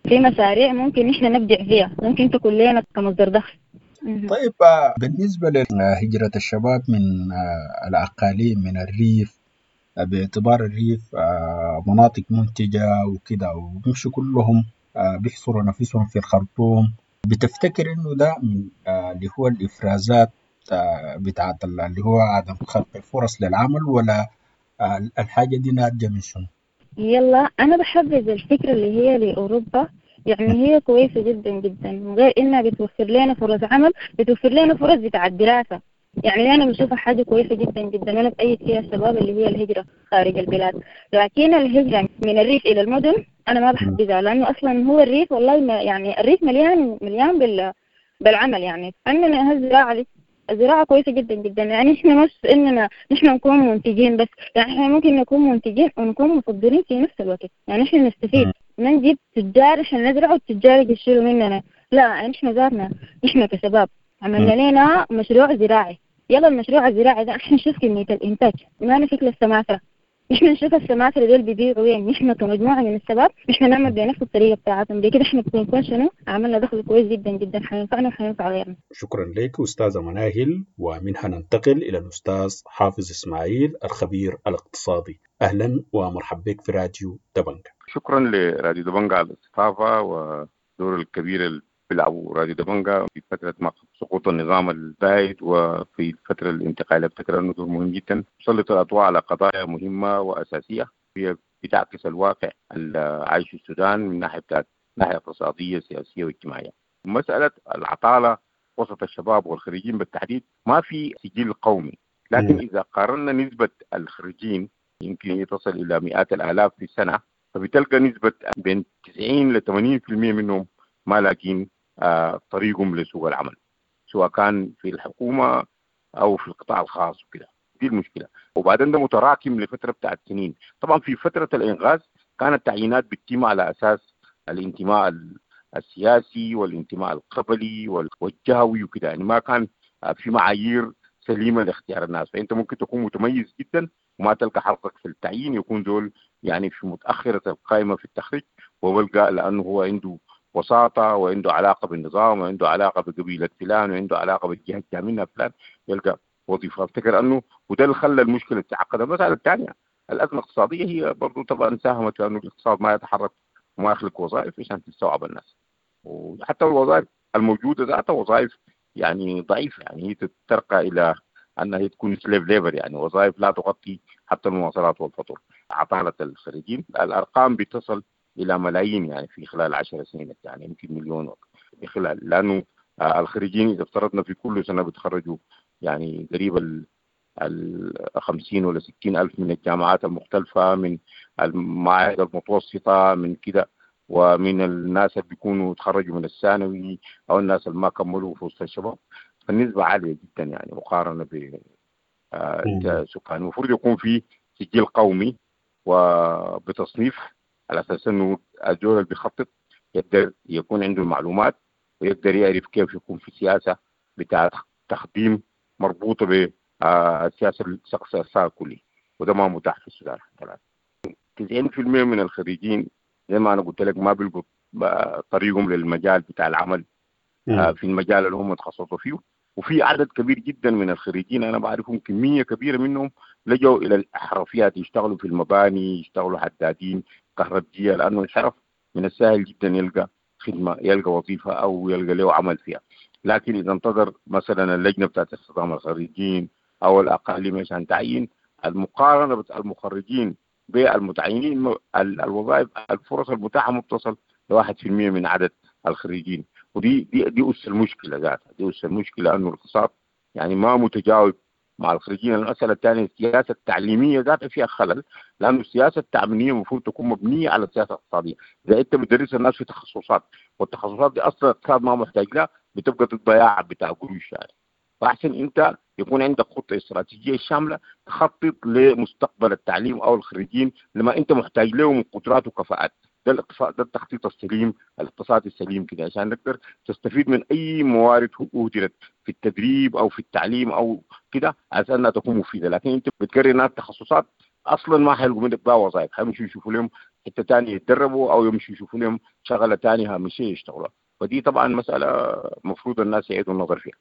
في مشاريع ممكن نحن نبدع فيها، ممكن تكون لنا كمصدر دخل. طيب بالنسبة لهجرة الشباب من الأقاليم، من الريف، باعتبار الريف مناطق منتجة وكده، وبيمشوا كلهم بيحصروا نفسهم في الخرطوم، بتفتكر إنه ده من اللي هو الإفرازات بتاعت اللي هو عدم خلق الفرص للعمل، ولا الحاجة دي ناتجة من شنو؟ يلا أنا بحبذ الفكرة اللي هي لأوروبا، يعني هي كويسة جدا جدا، من غير إنها بتوفر لنا فرص عمل، بتوفر لنا فرص بتاع الدراسة. يعني أنا بشوفها حاجة كويسة جدا جدا، أنا بأيد فيها الشباب اللي هي الهجرة خارج البلاد. لكن الهجرة من الريف إلى المدن انا ما بحبذها، لانه اصلا هو الريف والله ما يعني الريف مليان مليان بالعمل. يعني عندنا الزراعة دي، الزراعة كويسة جدا جدا. يعني احنا مش اننا نحن نكون منتجين بس، يعني احنا ممكن نكون منتجين ونكون مصدرين في نفس الوقت. يعني احنا نستفيد، ما نجيب تجار عشان نزرع والتجار يجي يشيلوا مننا، لا احنا ذاتنا احنا كشباب عملنا لنا مشروع زراعي. يلا المشروع الزراعي ده احنا نشوف كمية الإنتاج، ما نفك للسماسرة، نحن نشوف السماسرة دول بيبيعوا وين. نحن كمجموعة من الشباب نحن نعمل بنفس الطريقة بتاعتهم دي كده، احنا بنكون شنو عملنا دخل كويس جدا جدا، حينفعنا وحينفع غيرنا. شكرا لك أستاذة مناهل. ومنها ننتقل إلى الأستاذ حافظ إسماعيل الخبير الاقتصادي. أهلا ومرحبا بك في راديو دبنجة. شكرا لراديو دبنجة على الاستضافة ودور الكبير اللي بيلعبوا راديو دبنجة في فترة ما سقوط النظام البائد وفي الفترة الانتقالية. افتكر أنه دور مهم جدا، سلط الأضواء على قضايا مهمة وأساسية هي بتعكس الواقع اللي عايشه السودان من ناحية بتاعت ناحية اقتصادية سياسية واجتماعية. مسألة العطالة وسط الشباب والخريجين بالتحديد ما في سجل قومي، لكن إذا قارنا نسبة الخريجين يمكن تصل إلى مئات الآلاف في السنة، فبتلقى نسبة بين 90 ل 80% منهم ما لاقين طريقهم لسوق العمل، سواء كان في الحكومة أو في القطاع الخاص وكده. دي المشكلة. وبعدين ده متراكم لفترة بتاعت سنين. طبعا في فترة الإنغاز كانت التعيينات بتتم على أساس الانتماء السياسي والانتماء القبلي والجهوي وكده، يعني ما كان في معايير سليمة لاختيار الناس. فأنت ممكن تكون متميز جدا وما تلقى حظك في التعيين، يكون دول يعني في متأخرة القائمة في التخريج، وبلقى لأنه هو عنده وساطة وعنده علاقة بالنظام وعنده علاقة بقبيلة فلان وعنده علاقة بالجهة الجامعية فلان، يلقى وظيفة. افتكر أنه وده اللي خلى المشكلة تتعقد. المسألة الثانية الأزمة الاقتصادية هي برضو طبعا ساهمت في أنه الاقتصاد ما يتحرك وما يخلق وظائف عشان تستوعب الناس، وحتى الوظائف الموجودة ذاتها وظائف يعني ضعيفة، يعني هي ترقى إلى أنها تكون slave labor، يعني وظائف لا تغطي حتى المواصلات والفطور. عطالة الخريجين الأرقام بتصل إلى ملايين يعني في خلال 10 سنين، يعني يمكن مليون في خلال، لأنه الخريجين إذا افترضنا في كل سنة بيتخرجوا يعني قريب ال 50 ولا 60 ألف من الجامعات المختلفة، من المعاهد المتوسطة، من كده، ومن الناس اللي بيكونوا تخرجوا من الثانوي أو الناس اللي ما كملوا في وسط الشباب، فالنسبة عالية جدا يعني مقارنة ب السكان. المفروض يكون في سجل قومي وبتصنيف على اساس انه الزول اللي بيخطط يقدر يكون عنده المعلومات ويقدر يعرف كيف يكون في سياسة بتاع تخديم مربوطة بالسياسة الشخصية الكلي، وده ما متاح في السودان حتى الان. 90% من الخريجين زي ما انا قلت لك ما بيلقوا طريقهم للمجال بتاع العمل في المجال اللي هم تخصصوا فيه. وفي عدد كبير جدا من الخريجين انا بعرفهم، كمية كبيرة منهم لجوا الى الاحرفيات، يشتغلوا في المباني، يشتغلوا حدادين، كهربجيه، لانه الحرف من السهل جدا يلقى خدمة، يلقى وظيفة او يلقى له عمل فيها. لكن اذا انتظر مثلا اللجنة بتاعت استخدام الخريجين او الاقاليم عشان تعيين، المقارنة بتاع المخرجين بالمتعينين، الوظائف الفرص المتاحة ما بتصل ل 1% من عدد الخريجين. ودي دي دي اس المشكلة ذاتها، دي اس المشكلة انه الاقتصاد يعني ما متجاوب مع الخريجين. المسالة الثانية السياسة التعليمية ذاتها فيها خلل، لانه السياسة التعليمية المفروض تكون مبنية على السياسة الاقتصادية. اذا انت بتدرس الناس في تخصصات والتخصصات دي اصلا الاقتصاد ما محتاج لها، بتبقى الضياع بتاع قروش يعني. فاحسن انت يكون عندك خطه استراتيجية شاملة تخطط لمستقبل التعليم او الخريجين لما انت محتاج له من قدرات وكفاءات. ده الاقتصاد، ده التخطيط السليم، الاقتصاد السليم كده، عشان نقدر تستفيد من اي موارد اهدرت في التدريب او في التعليم او كده عشان انها تكون مفيدة. لكن انت بتقري ناس تخصصات اصلا ما حيلقوا منك بها وظائف، حيمشوا يشوفوا لهم حتة ثانية يتدربوا او يمشوا يشوفوا لهم شغله ثانية هامشية يشتغلوها. فدي طبعا مسالة المفروض الناس يعيدوا النظر فيها.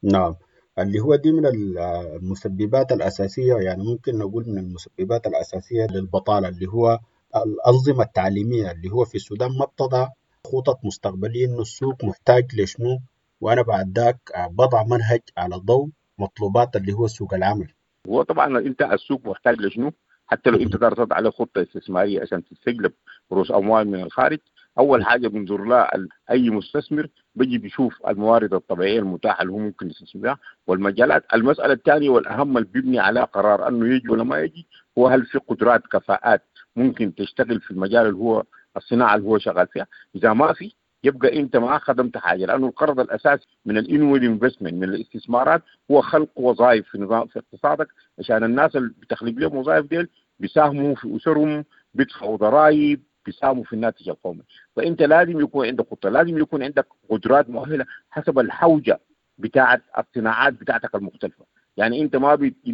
نعم، اللي هو دي من المسببات الأساسية، يعني ممكن نقول من المسببات الأساسية للبطالة، اللي هو الأنظمة التعليمية اللي هو في السودان ما بتضع خطط مستقبلية إنه السوق محتاج لشنو، وأنا بعد ذاك بضع منهج على ضوء مطلوبات اللي هو سوق العمل. هو طبعا أنت السوق محتاج لشنو، حتى لو أنت تقدر تضع عليه خطة استثمارية عشان تستجلب رؤوس أموال من الخارج، أول حاجة بنظر لها أي مستثمر بيجي بيشوف الموارد الطبيعية المتاحة اللي هو ممكن يستثمر بها والمجالات. المسألة الثانية والأهم اللي بيبني على قرار أنه يجي ولا ما يجي هو هل في قدرات كفاءات ممكن تشتغل في المجال اللي هو الصناعة اللي هو شغال فيها. اذا ما في يبقى انت ما خدمت حاجة، لانه القرض الاساسي من ال inward investment، من الاستثمارات، هو خلق وظائف في نظام في اقتصادك، عشان الناس اللي بتخلق لهم وظائف ديل بيساهموا في اسرهم، بيدفعوا ضرائب، بيساهموا في الناتج القومي. فانت لازم يكون عندك خطه، لازم يكون عندك قدرات مؤهلة حسب الحوجه بتاعه الصناعات بتاعتك المختلفة. يعني انت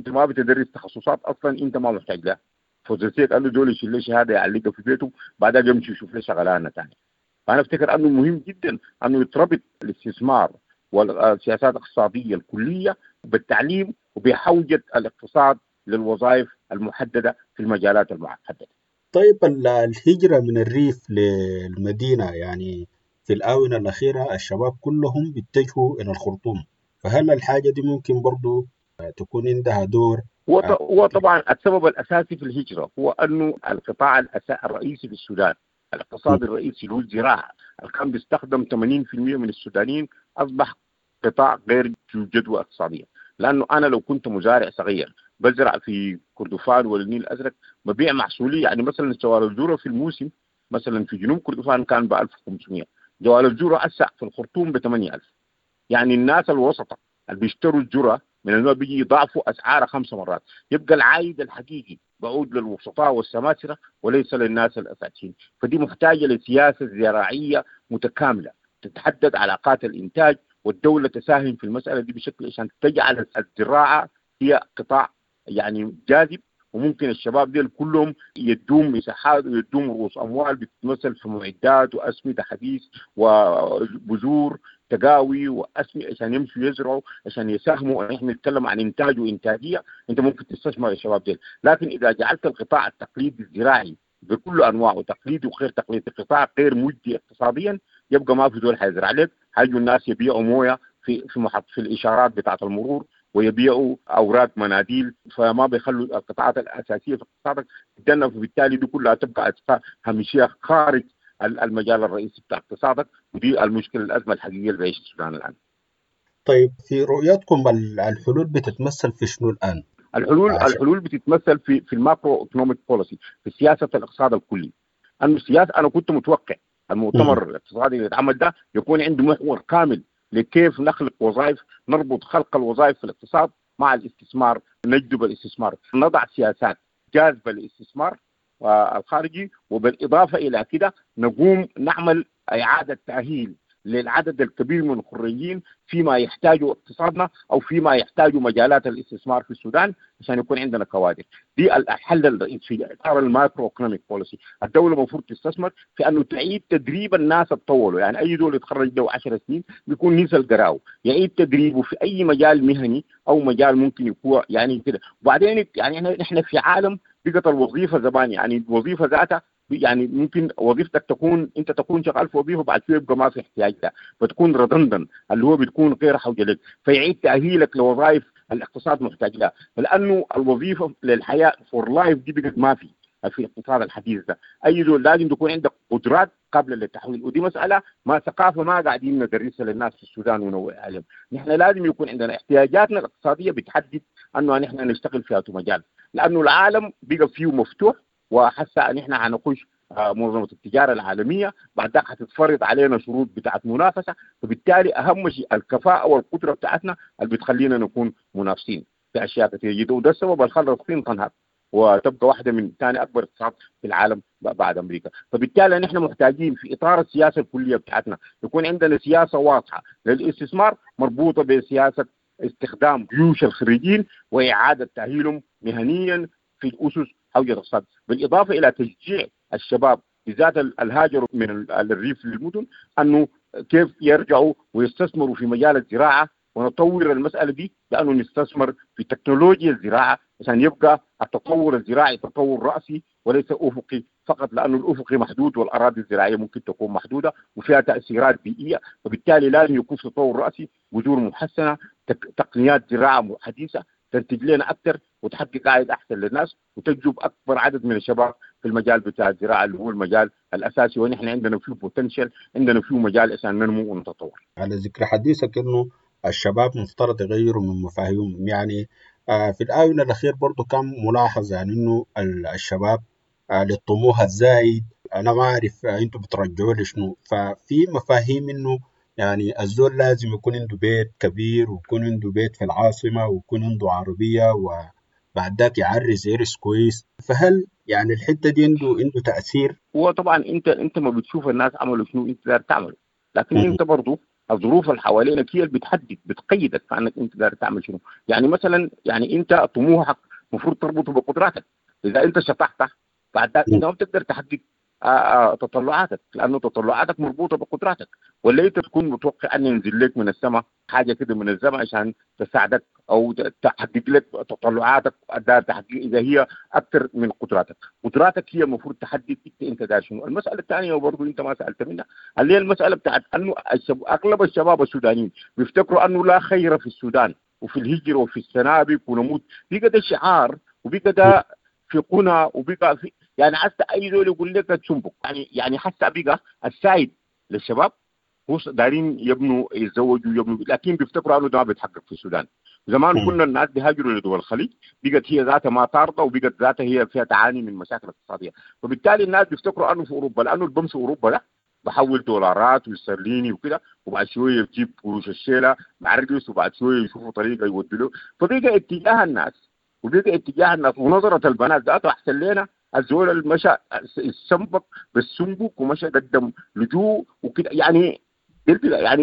ما بتدرس تخصصات اصلا انت ما محتاج لها. فوزيسيك قال له دول يشيل لي شهادة يعلقها في بيته، بعدها يمشي يشوف لي شغلانة ثانية. فانا افتكر انه مهم جدا انه يتربط الاستثمار والسياسات الاقتصادية الكلية بالتعليم وبحوجه الاقتصاد للوظائف المحددة في المجالات المحددة. طيب، الهجرة من الريف للمدينة، يعني في الآونة الأخيرة الشباب كلهم بيتجهوا إلى الخرطوم، فهل الحاجة دي ممكن برضو تكون عندها دور؟ هو طبعا السبب الأساسي في الهجرة هو أنه القطاع الرئيسي في السودان، الاقتصاد الرئيسي اللي هو الزراعة، اللي كان بيستخدم 80% من السودانيين، أصبح قطاع غير ذو جدوى اقتصادية. لأنه أنا لو كنت مزارع صغير بزرع في كردفان والنيل الأزرق ببيع محصولي، يعني مثلا جوال الذرة في الموسم مثلا في جنوب كردفان كان ب 1500، جوال الذرة هسه في الخرطوم ب 8000. يعني الناس الوسطى اللي بيشتروا الذرة من النوع بيجي يضاعفوا اسعارها 5 مرات، يبقى العائد الحقيقي بعود للوسطاء والسماسره وليس للناس الاساسيين. فدي محتاجه لسياسه زراعية متكاملة تتحدد علاقات الانتاج، والدولة تساهم في المسالة دي بشكل عشان تجعل الزراعة هي قطاع يعني جاذب، وممكن الشباب ديل كلهم يدوم مساحات ويدوم رؤوس اموال بتتمثل في معدات واسمده حديث وبذور تقاوي واسمده عشان يمشوا يزرعوا عشان يساهموا. احنا نتكلم عن انتاج وانتاجيه، انت ممكن تستثمر الشباب ديل. لكن اذا جعلت القطاع التقليدي الزراعي بكل انواعه تقليدي وغير تقليدي قطاع غير مجدي اقتصاديا، يبقى ما في زول حيزرع لك. حيجوا الناس يبيعوا مويه في في محط في الاشارات بتاعه المرور ويبيعوا اوراق مناديل، فما بيخلوا القطاعات الاساسية في اقتصادك تتجنب، وبالتالي دي كلها تبقى هامشية خارج المجال الرئيسي بتاع اقتصادك، ودي المشكلة الازمة الحقيقية اللي بيعيش السودان الان. طيب، في رؤيتكم الحلول بتتمثل في شنو الان؟ الحلول بتتمثل في ال macro economic policy، في سياسة الاقتصاد الكلي. انه السياسة انا كنت متوقع المؤتمر الاقتصادي اللي اتعمل ده يكون عنده محور كامل لكيف نخلق وظائف، نربط خلق الوظائف في الاقتصاد مع الاستثمار، نجذب الاستثمار، نضع سياسات جاذبة للاستثمار الخارجي، وبالاضافة الى كده نقوم نعمل اعاده تاهيل للعدد الكبير من الخريجين فيما يحتاجه اقتصادنا او فيما يحتاجه مجالات الاستثمار في السودان عشان يكون عندنا كوادر. دي الحل الرئيسي في اطار ال macro economic policy. الدولة المفروض تستثمر في انه تعيد تدريب الناس الطولوا، يعني اي زول يتخرج له 10 سنين بيكون نسى القراو، يعيد تدريبه في اي مجال مهني او مجال ممكن يكون يعني كده. وبعدين يعني احنا في عالم بقت الوظيفة زمان، يعني الوظيفة ذاتها يعني ممكن وظيفتك تكون انت تكون شغال في وظيفة بعد شوية يبقى ما في احتياج لها، فتكون redundant اللي هو بتكون غير حوجه لك، فيعيد تاهيلك لوظائف الاقتصاد محتاج لها، لانه الوظيفة للحياة for life دي بقت ما في الاقتصاد الحديث ده. اي زول لازم تكون عندك قدرات قابله للتحويل، ودي مسالة ما ثقافة ما قاعدين ندرسها للناس في السودان ونوعي عليهم. نحن لازم يكون عندنا احتياجاتنا الاقتصادية بتحدد انه نحن نشتغل في هذا المجال، لانه العالم بقى فيه مفتوح، وحاسه ان احنا هنخش منظمة التجارة العالمية، بعد ذاك حتتفرض علينا شروط بتاعت منافسه، فبالتالي اهم شيء الكفاءة والقدرة بتاعتنا اللي بتخلينا نكون منافسين في اشياء كثيرة جدا. وده السبب اللي خلى الصين تنهض وتبقى واحدة من ثاني اكبر اقتصاد في العالم بعد امريكا. فبالتالي نحن محتاجين في اطار السياسة الكلية بتاعتنا يكون عندنا سياسة واضحة للاستثمار مربوطة بسياسة استخدام جيوش الخريجين واعاده تاهيلهم مهنيا في الاسس حول الاقتصاد، بالاضافة الى تشجيع الشباب بالذات الهاجروا من الريف للمدن انه كيف يرجعوا ويستثمروا في مجال الزراعة، ونطور المسالة دي لانه نستثمر في تكنولوجيا الزراعة عشان يبقى التطور الزراعي تطور راسي وليس افقي فقط، لانه الافقي محدود والاراضي الزراعية ممكن تكون محدودة وفيها تاثيرات بيئية، فبالتالي لازم يكون في تطور راسي، بذور محسنة، تقنيات زراعة حديثه تنتج لنا اكثر وتحقق عائد احسن للناس وتجذب اكبر عدد من الشباب في المجال بتاع الزراعة اللي هو المجال الاساسي، ونحن عندنا فيه potential، عندنا فيه مجال عشان ننمو ونتطور. على ذكر حديثك انه الشباب مفترض يغيروا من مفاهيمهم، يعني في الآونة الأخير برضو كان ملاحظ يعني إنه الشباب للطموح الزايد. أنا ما أعرف أنتوا بترجعوا لشنو. ففي مفاهيم إنه يعني الزول لازم يكون عنده بيت كبير، ويكون عنده بيت في العاصمة، ويكون عنده عربية، وبعد ذاك يعرس عرس كويس. فهل يعني الحتة دي عنده تأثير؟ هو طبعا انت ما بتشوف الناس عملوا شنو انت داير تعمله، لكن انت برضو الظروف اللي حوالينك هي اللي بتحدد، بتقيدك في انك انت داير تعمل شنو. يعني مثلا يعني انت طموحك المفروض تربطه بقدراتك. اذا انت شطحت بعد ذاك انت ما بتقدر تحقق تطلعاتك، لانه تطلعاتك مربوطة بقدراتك. ولا انت تكون متوقع ان ينزل لك من السماء حاجة كده من السماء عشان تساعدك او تحقق لك تطلعاتك، دار تحقق اذا هي اكثر من قدراتك. قدراتك هي المفروض تحدد انت دار شنو. المسالة الثانية وبرضه انت ما سالت منها اللي هي المسالة بتاعت انه اغلب الشباب السودانيين بيفتكروا انه لا خير في السودان وفي الهجرة وفي السنابك ونموت. بقى ده شعار، وبقى ده في قنا، وبقى في يعني حتى اي زول يقول لك تسنبك. يعني حتى بقى السايد للشباب هو دارين يبنوا يتزوجوا يبنوا، لكن بيفتكروا انه ده ما بيتحقق في السودان. زمان كنا الناس بيهاجروا لدول الخليج، بقت هي ذاتها ما طارده، وبقت ذاتها هي فيها تعاني من مشاكل اقتصادية. فبالتالي الناس بيفتكروا انه في اوروبا، لانه اللي بمشي اوروبا ده بحول دولارات واسترليني وكده، وبعد شوية بجيب قروش الشيله مع الرقص، وبعد شوية يشوفوا طريقه يودوا له. فبقى اتجاه الناس، وبقى اتجاه الناس ونظره البنات ذاته احسن لنا الزول اللي مشى السنبك بالسنبك ومشى قدم لجوء وكده. يعني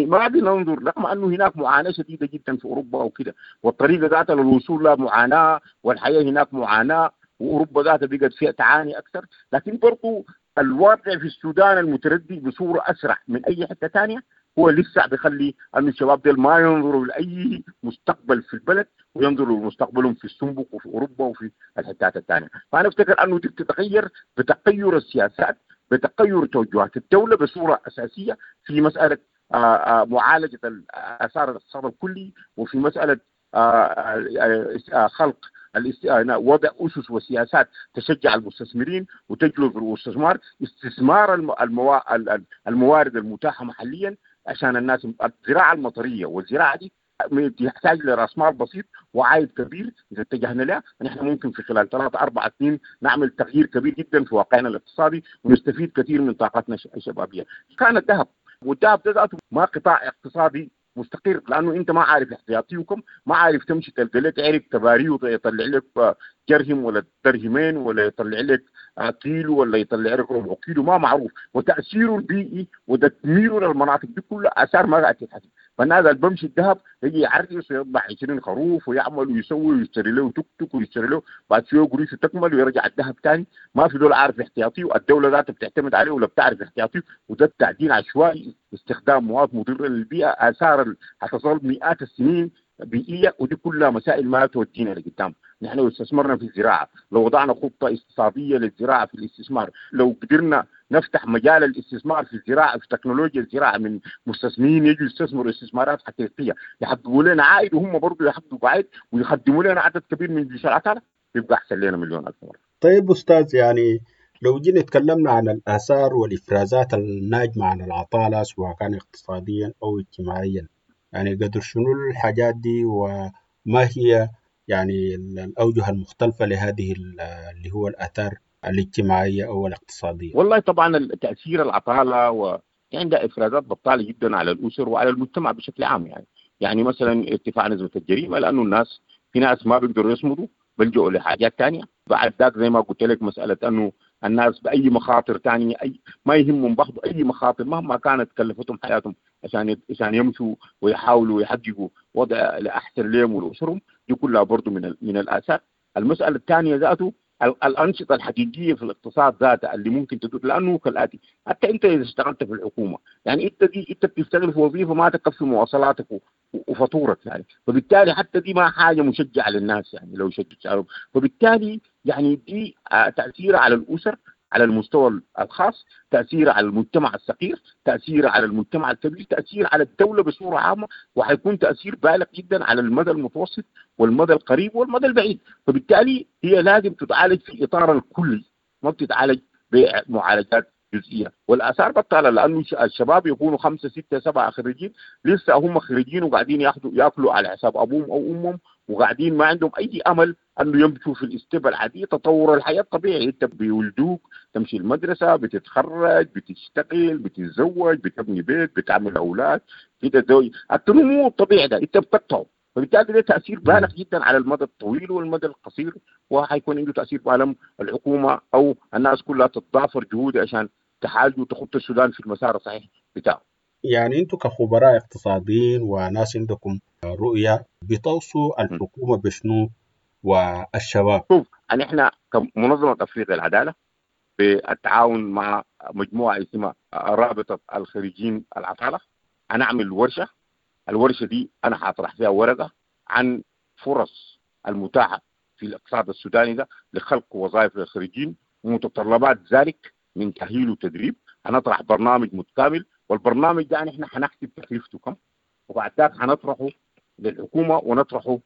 ما بننظر رغم انه هناك معاناة شديدة جدا في اوروبا وكده، والطريقة ذاتها للوصول لها معاناة، والحياة هناك معاناة، واوروبا ذاتها بقت فيها تعاني اكثر. لكن برضو الواقع في السودان المتردي بصورة اسرع من اي حتة ثانية هو لسه بيخلي انه الشباب ديل ما ينظروا لاي مستقبل في البلد، وينظروا لمستقبلهم في السنبك وفي اوروبا وفي الحتات الثانية. فانا افتكر انه دي بتتغير بتغير السياسات، بتغير توجهات الدولة بصورة اساسية في مسالة معالجة اثار الاقتصاد الكلي، وفي مسالة خلق وضع اسس وسياسات تشجع المستثمرين وتجلب الاستثمار، استثمار الموارد المتاحة محليا عشان الناس. الزراعة المطريه والزراعة دي تحتاج لراس مال بسيط وعائد كبير. اذا اتجهنا لها نحن ممكن في خلال 3-4 سنين نعمل تغيير كبير جدا في واقعنا الاقتصادي ونستفيد كثير من طاقتنا الشبابية. كان الذهب، والذهب ده ذاته ما قطاع اقتصادي مستقر، لانه انت ما عارف احتياطيكم، ما عارف تمشي تلقى لك عرق تباري ويطلع لك جرهم ولا درهمين ولا يطلع لك كيلو ولا يطلع لك ربع كيلو، ما معروف. وتاثيره البيئي وتدميره للمناطق دي كلها اثار ما قاعد تتحسب. فالناس اللي بمشي الذهب يجي يعرس ويذبح 20 خروف ويعمل ويسوي ويشتري له توك توك ويشتري له بعد شوية قريشه تكمل ويرجع الذهب ثاني. ما في دول عارف احتياطيه، الدولة ذاتها بتعتمد عليه ولا بتعرف احتياطيه. وده تعدين عشوائي، استخدام مواد مضرة للبيئة، اثار حتصل مئات السنين بيئية، ودي كلها مسائل ما تودينا لقدام. نحن لو استثمرنا في الزراعة، لو وضعنا خطه اقتصادية للزراعة في الاستثمار، لو قدرنا نفتح مجال الاستثمار في الزراعة، في تكنولوجيا الزراعة، من مستثمرين يجوا يستثمروا استثمارات حقيقية يحققوا لنا عائد، وهم برضه يحققوا عائد ويخدموا لنا عدد كبير من جيش العطاله، يبقى احسن لنا مليون الف مرة. طيب استاذ، يعني لو جينا تكلمنا عن الاثار والافرازات الناجمة عن العطاله سواء كان اقتصاديا او اجتماعيا، يعني قدر شنو الحاجات دي، وما هي يعني الأوجه المختلفة لهذه اللي هو الآثار الاجتماعية أو الاقتصادية؟ والله طبعا تأثير العطالة عندها إفرازات بطالة جدا على الأسر وعلى المجتمع بشكل عام. يعني مثلا ارتفاع نسبة الجريمة، لأنه الناس في ناس ما بيقدروا يصمدوا بلجؤوا لحاجات تانية. بعد ذاك زي ما قلت لك مسألة أنه الناس بأي مخاطر تانية، أي ما يهمهم باخذوا أي مخاطر مهما كانت كلفتهم حياتهم عشان يمشوا ويحاولوا يحققوا وضع لأحسن لهم ولأسرهم. دي كلها برضو من الآثار. المسألة الثانية ذاته الأنشطة الحقيقية في الاقتصاد ذاته اللي ممكن تدور، لأنه كالآتي: حتى أنت إذا اشتغلت في الحكومة، يعني أنت بتشتغل في وظيفة ما تكفي مواصلاتك وفاتورك يعني، فبالتالي حتى دي ما حاجة مشجعة للناس يعني لو شجعوا. فبالتالي يعني دي تأثير على الأسر على المستوى الخاص، تأثير على المجتمع الصغير، تأثير على المجتمع الكبير، تأثير على الدولة بصورة عامة، وحيكون تأثير بالغ جدا على المدى المتوسط والمدى القريب والمدى البعيد. فبالتالي هي لازم تتعالج في إطار الكلي، ما بتتعالج بمعالجات جزئية. والآثار بطالة، لأنه الشباب يكونوا 5 6 7 خريجين لسه هم خريجين وقاعدين ياكلوا على حساب أبوهم أو أمهم وقاعدين ما عندهم اي امل انه يمشوا في ال step العادية، تطور الحياة الطبيعي. انت بيولدوك، تمشي المدرسة، بتتخرج، بتشتغل، بتتزوج، بتبني بيت، بتعمل اولاد، بتتزوج، النمو الطبيعي ده انت بتقطعه. فبالتالي ده تاثير بالغ جدا على المدى الطويل والمدى القصير، وحيكون عنده تاثير بالم الحكومة او الناس كلها تتضافر جهود عشان تحاول وتخط السودان في المسار الصحيح بتاعه. يعني انتم كخبراء اقتصاديين وناس عندكم رؤية، بتوصوا الحكومة بشنو والشباب؟ شوف، احنا كمنظمه افريقيا العدالة بالتعاون مع مجموعة اسمها رابطه الخريجين العطاله هنعمل ورشه. الورشة دي انا حاطرح فيها ورقة عن فرص المتاحة في الاقتصاد السوداني ده لخلق وظائف للخريجين ومتطلبات ذلك من تاهيل وتدريب. هنطرح برنامج متكامل، والبرنامج ده نحن حنحسب تكلفته كم، وبعد ذاك حنطرحه للحكومة ونطرحه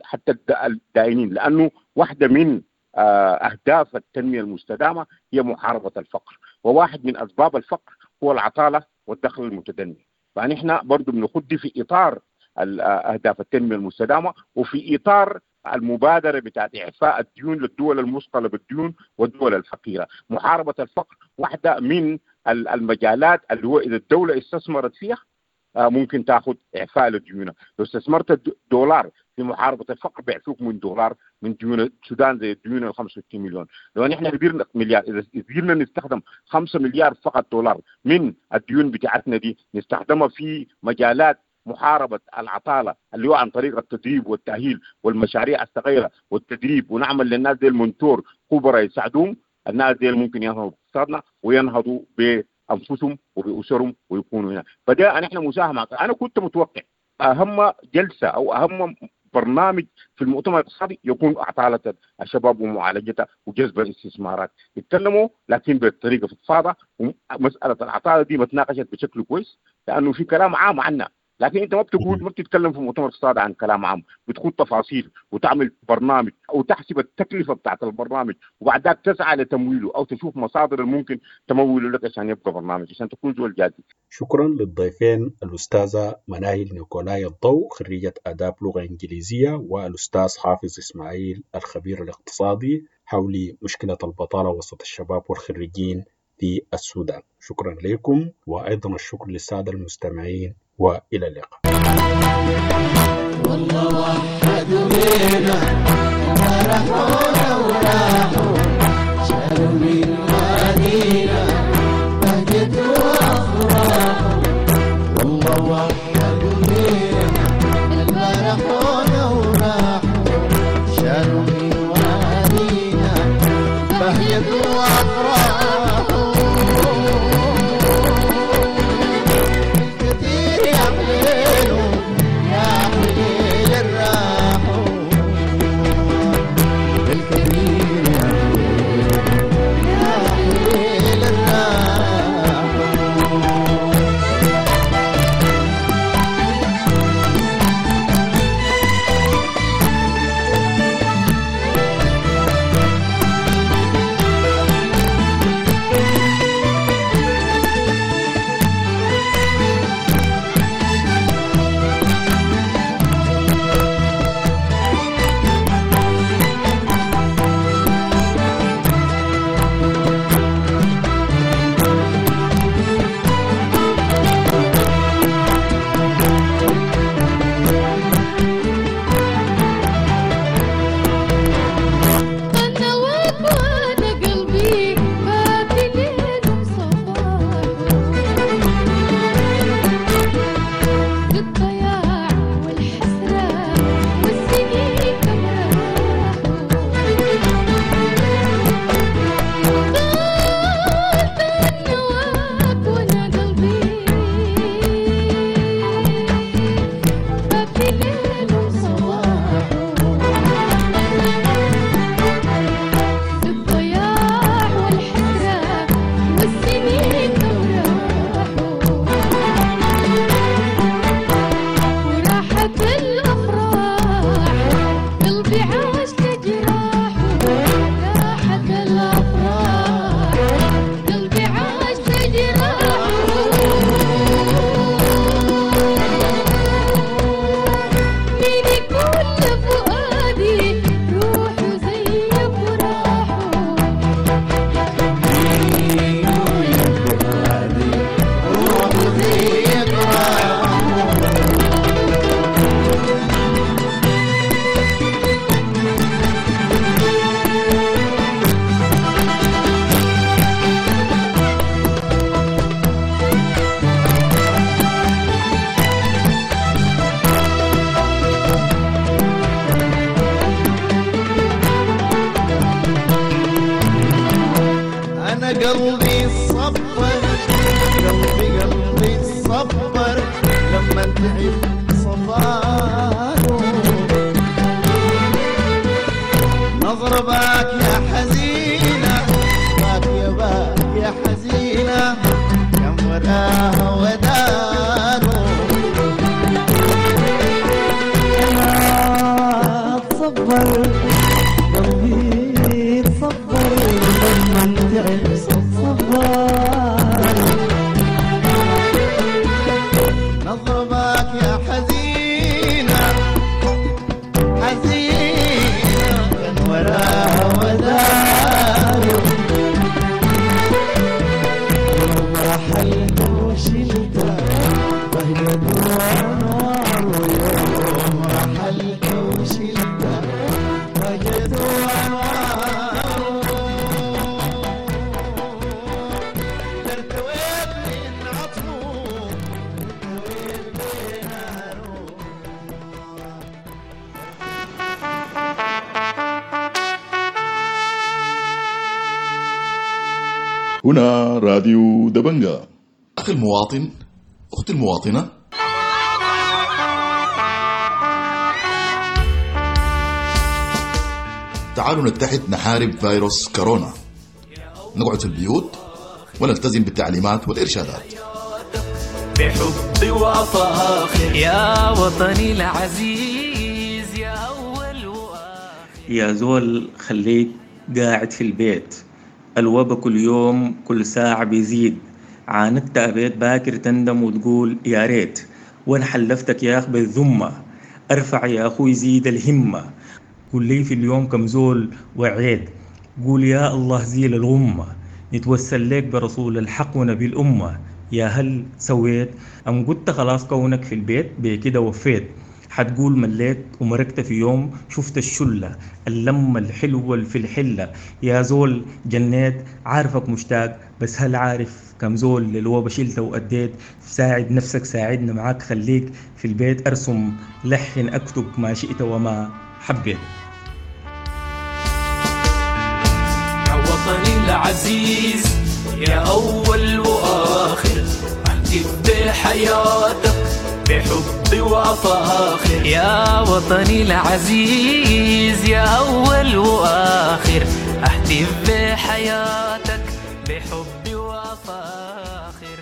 حتى الدائنين، لانه واحدة من اهداف التنمية المستدامة هي محاربة الفقر، وواحد من اسباب الفقر هو العطاله والدخل المتدني. فنحن برضه بنخد في اطار اهداف التنمية المستدامة وفي اطار المبادرة بتاعت اعفاء الديون للدول المثقله بالديون والدول الفقيرة. محاربة الفقر واحدة من المجالات اللي هو اذا الدولة استثمرت فيها ممكن تاخذ اعفاء لديونها. لو استثمرت دولار في محاربة الفقر بيعفوك من دولار من ديون السودان زي الديون ال 65 مليون. لو نحن قدرنا مليار، اذا قدرنا نستخدم 5 مليار فقط دولار من الديون بتاعتنا دي نستخدمها في مجالات محاربة العطاله اللي هو عن طريق التدريب والتاهيل والمشاريع الصغيرة والتدريب، ونعمل للناس دي ال mentor خبراء يساعدوهم، الناس دي ممكن ينهضوا باقتصادنا وينهضوا بانفسهم وباسرهم ويكونوا هنا. فده نحن مساهمة. انا كنت متوقع اهم جلسه او اهم برنامج في المؤتمر الاقتصادي يكون عطاله الشباب ومعالجتها وجذب الاستثمارات. يتكلموا لكن بطريقة فضفاضة، ومسالة العطاله دي ما تناقشت بشكل كويس لانه في كلام عام عنها، لكن انت ما بتقول، ما بتتكلم في مؤتمر اقتصادي عن كلام عام، بتخوض تفاصيل وتعمل برنامج او تحسب التكلفة بتاعت البرنامج وبعد ذاك تسعى لتمويله او تشوف مصادر الممكن تموله لك عشان يبقى برنامج عشان تكون زول جادي. شكرا للضيفين الأستاذة مناهل نيكولاي الضوء خريجة آداب لغة إنجليزية، والأستاذ حافظ إسماعيل الخبير الاقتصادي حول مشكلة البطالة وسط الشباب والخريجين في السودان. شكرا لكم، وأيضا الشكر للسادة المستمعين، وإلى اللقاء. والله وحدوا بينا وراحونا وراحوا شالوا من وادينا بهجة وأفراح. والله وحدوا بينا راحونا وراحوا شالوا من وادينا بهجة وأفراح. الكثير يا حليله يا حليل الراحوا بالكثير. اتصبر، قلبي اتصبر لما تعب صبر. نضربك يا حزينة حزينة كان وراها ودار، يوم رحلت وشلت بهجة وأنوار، يوم رحلت وشلت بهجة وأنوار. ارتويت من عطفه ارتويت بناره. هنا راديو دبنجا. أخي المواطن، أختي المواطنة، تعالوا نتحد نحارب فيروس كورونا، نقعد في البيوت ونلتزم بالتعليمات والإرشادات. بحب وفاخر يا وطني العزيز يا أول. يا زول خليك قاعد في البيت، الوبا كل يوم كل ساعة بيزيد، عاندت أبيت باكر تندم وتقول يا ريت، وانا حلفتك يا أخ بالذمة، ارفع يا أخوي زيد الهمة، قول لي في اليوم كم زول وعيت، قول يا الله زيل الغمة، نتوسل لك برسول الحق ونبي الأمة، يا هل سويت أم قلت خلاص كونك في البيت بكده وفيت، حتقول مليت ومرقت في يوم شفت الشلة اللمة الحلوة اللي في الحلة، يا زول جنيت عارفك مشتاق، بس هل عارف كم زول للوبا شلت وأديت؟ ساعد نفسك ساعدنا معاك، خليك في البيت، أرسم لحن أكتب ما شئت وما حبيت. يا وطني العزيز يا أول وآخر، أهتف بحياتك بحب وفاخر يا وطني العزيز يا أول وآخر، أهتف بحياتك بحب وفاخر.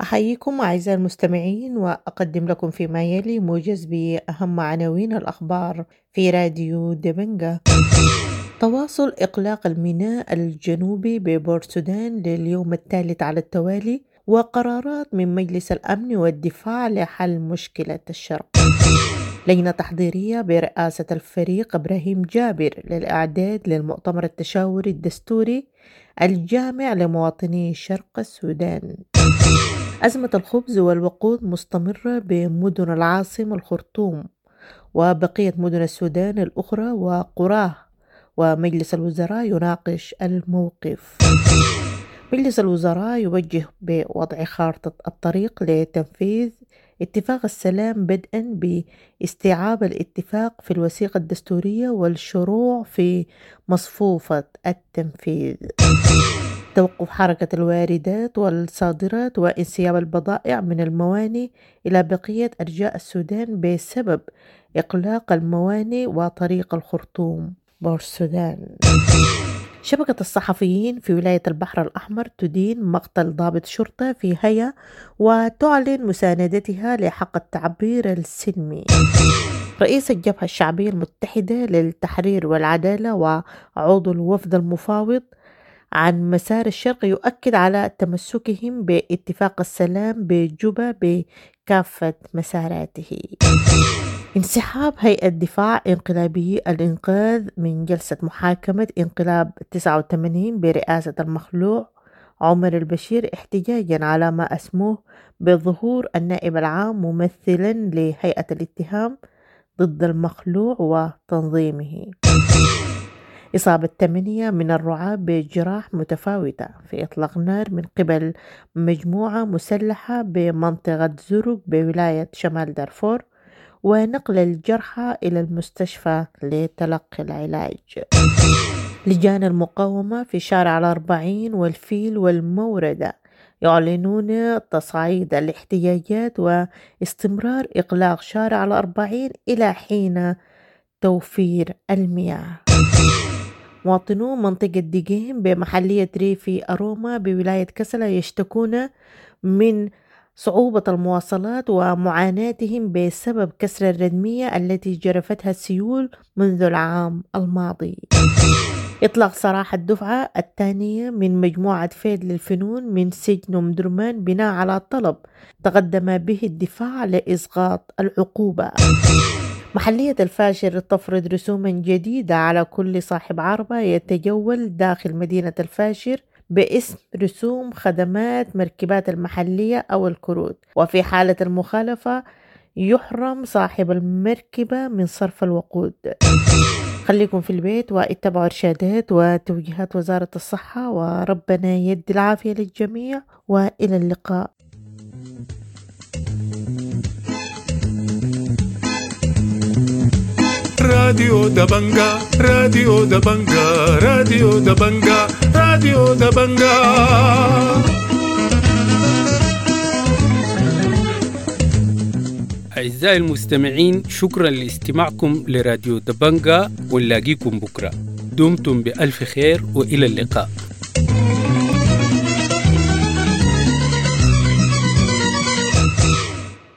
أحييكم أعزائي المستمعين، وأقدم لكم فيما يلي موجز بأهم عناوين الأخبار في راديو دبنجا. تواصل إغلاق الميناء الجنوبي ببورتسودان لليوم الثالث على التوالي، وقرارات من مجلس الأمن والدفاع لحل مشكلة الشرق. لجنة تحضيرية برئاسة الفريق إبراهيم جابر للإعداد للمؤتمر التشاوري الدستوري الجامع لمواطني شرق السودان. أزمة الخبز والوقود مستمرة بمدن العاصمة الخرطوم وبقية مدن السودان الأخرى وقراه، ومجلس الوزراء يناقش الموقف. مجلس الوزراء يوجه بوضع خارطة الطريق لتنفيذ اتفاق السلام بدءا باستيعاب الاتفاق في الوثيقة الدستورية والشروع في مصفوفة التنفيذ. توقف حركة الواردات والصادرات وانسياب البضائع من الموانئ إلى بقية أرجاء السودان بسبب إغلاق الموانئ وطريق الخرطوم بورسودان. شبكة الصحفيين في ولاية البحر الأحمر تدين مقتل ضابط شرطة في هيا وتعلن مساندتها لحق التعبير السلمي. رئيس الجبهة الشعبية المتحدة للتحرير والعدالة وعضو الوفد المفاوض عن مسار الشرق يؤكد على تمسكهم باتفاق السلام بجوبا بكافة مساراته. انسحاب هيئة دفاع انقلابي الإنقاذ من جلسة محاكمة انقلاب 89 برئاسة المخلوع عمر البشير احتجاجا على ما أسموه بظهور النائب العام ممثلا لهيئة الاتهام ضد المخلوع وتنظيمه. إصابة 8 من الرعاة بجراح متفاوتة في إطلاق نار من قبل مجموعة مسلحة بمنطقة زرق بولاية شمال دارفور، ونقل الجرحى إلى المستشفى لتلقي العلاج. لجان المقاومة في شارع 40 والفيل والموردة يعلنون تصعيد الاحتجاجات واستمرار إغلاق شارع 40 إلى حين توفير المياه. مواطنو منطقة ديجين بمحلية ريفي أروما بولاية كسلا يشتكون من صعوبة المواصلات ومعاناتهم بسبب كسر الردمية التي جرفتها السيول منذ العام الماضي. إطلاق سراح الدفعة الثانية من مجموعة فيد للفنون من سجن أم درمان بناء على طلب تقدم به الدفاع لإسقاط العقوبة. محلية الفاشر تفرض رسوما جديدة على كل صاحب عربة يتجول داخل مدينة الفاشر باسم رسوم خدمات مركبات المحلية أو الكروت، وفي حالة المخالفة يحرم صاحب المركبة من صرف الوقود. خليكم في البيت واتبعوا إرشادات وتوجيهات وزارة الصحة، وربنا يدي العافية للجميع، وإلى اللقاء. راديو دبنجا، راديو دبنجا، راديو دبنجا، راديو دبنجا. أعزائي المستمعين، شكرا لاستماعكم لراديو دبنجا، ونلاقيكم بكرة. دمتم بألف خير وإلى اللقاء.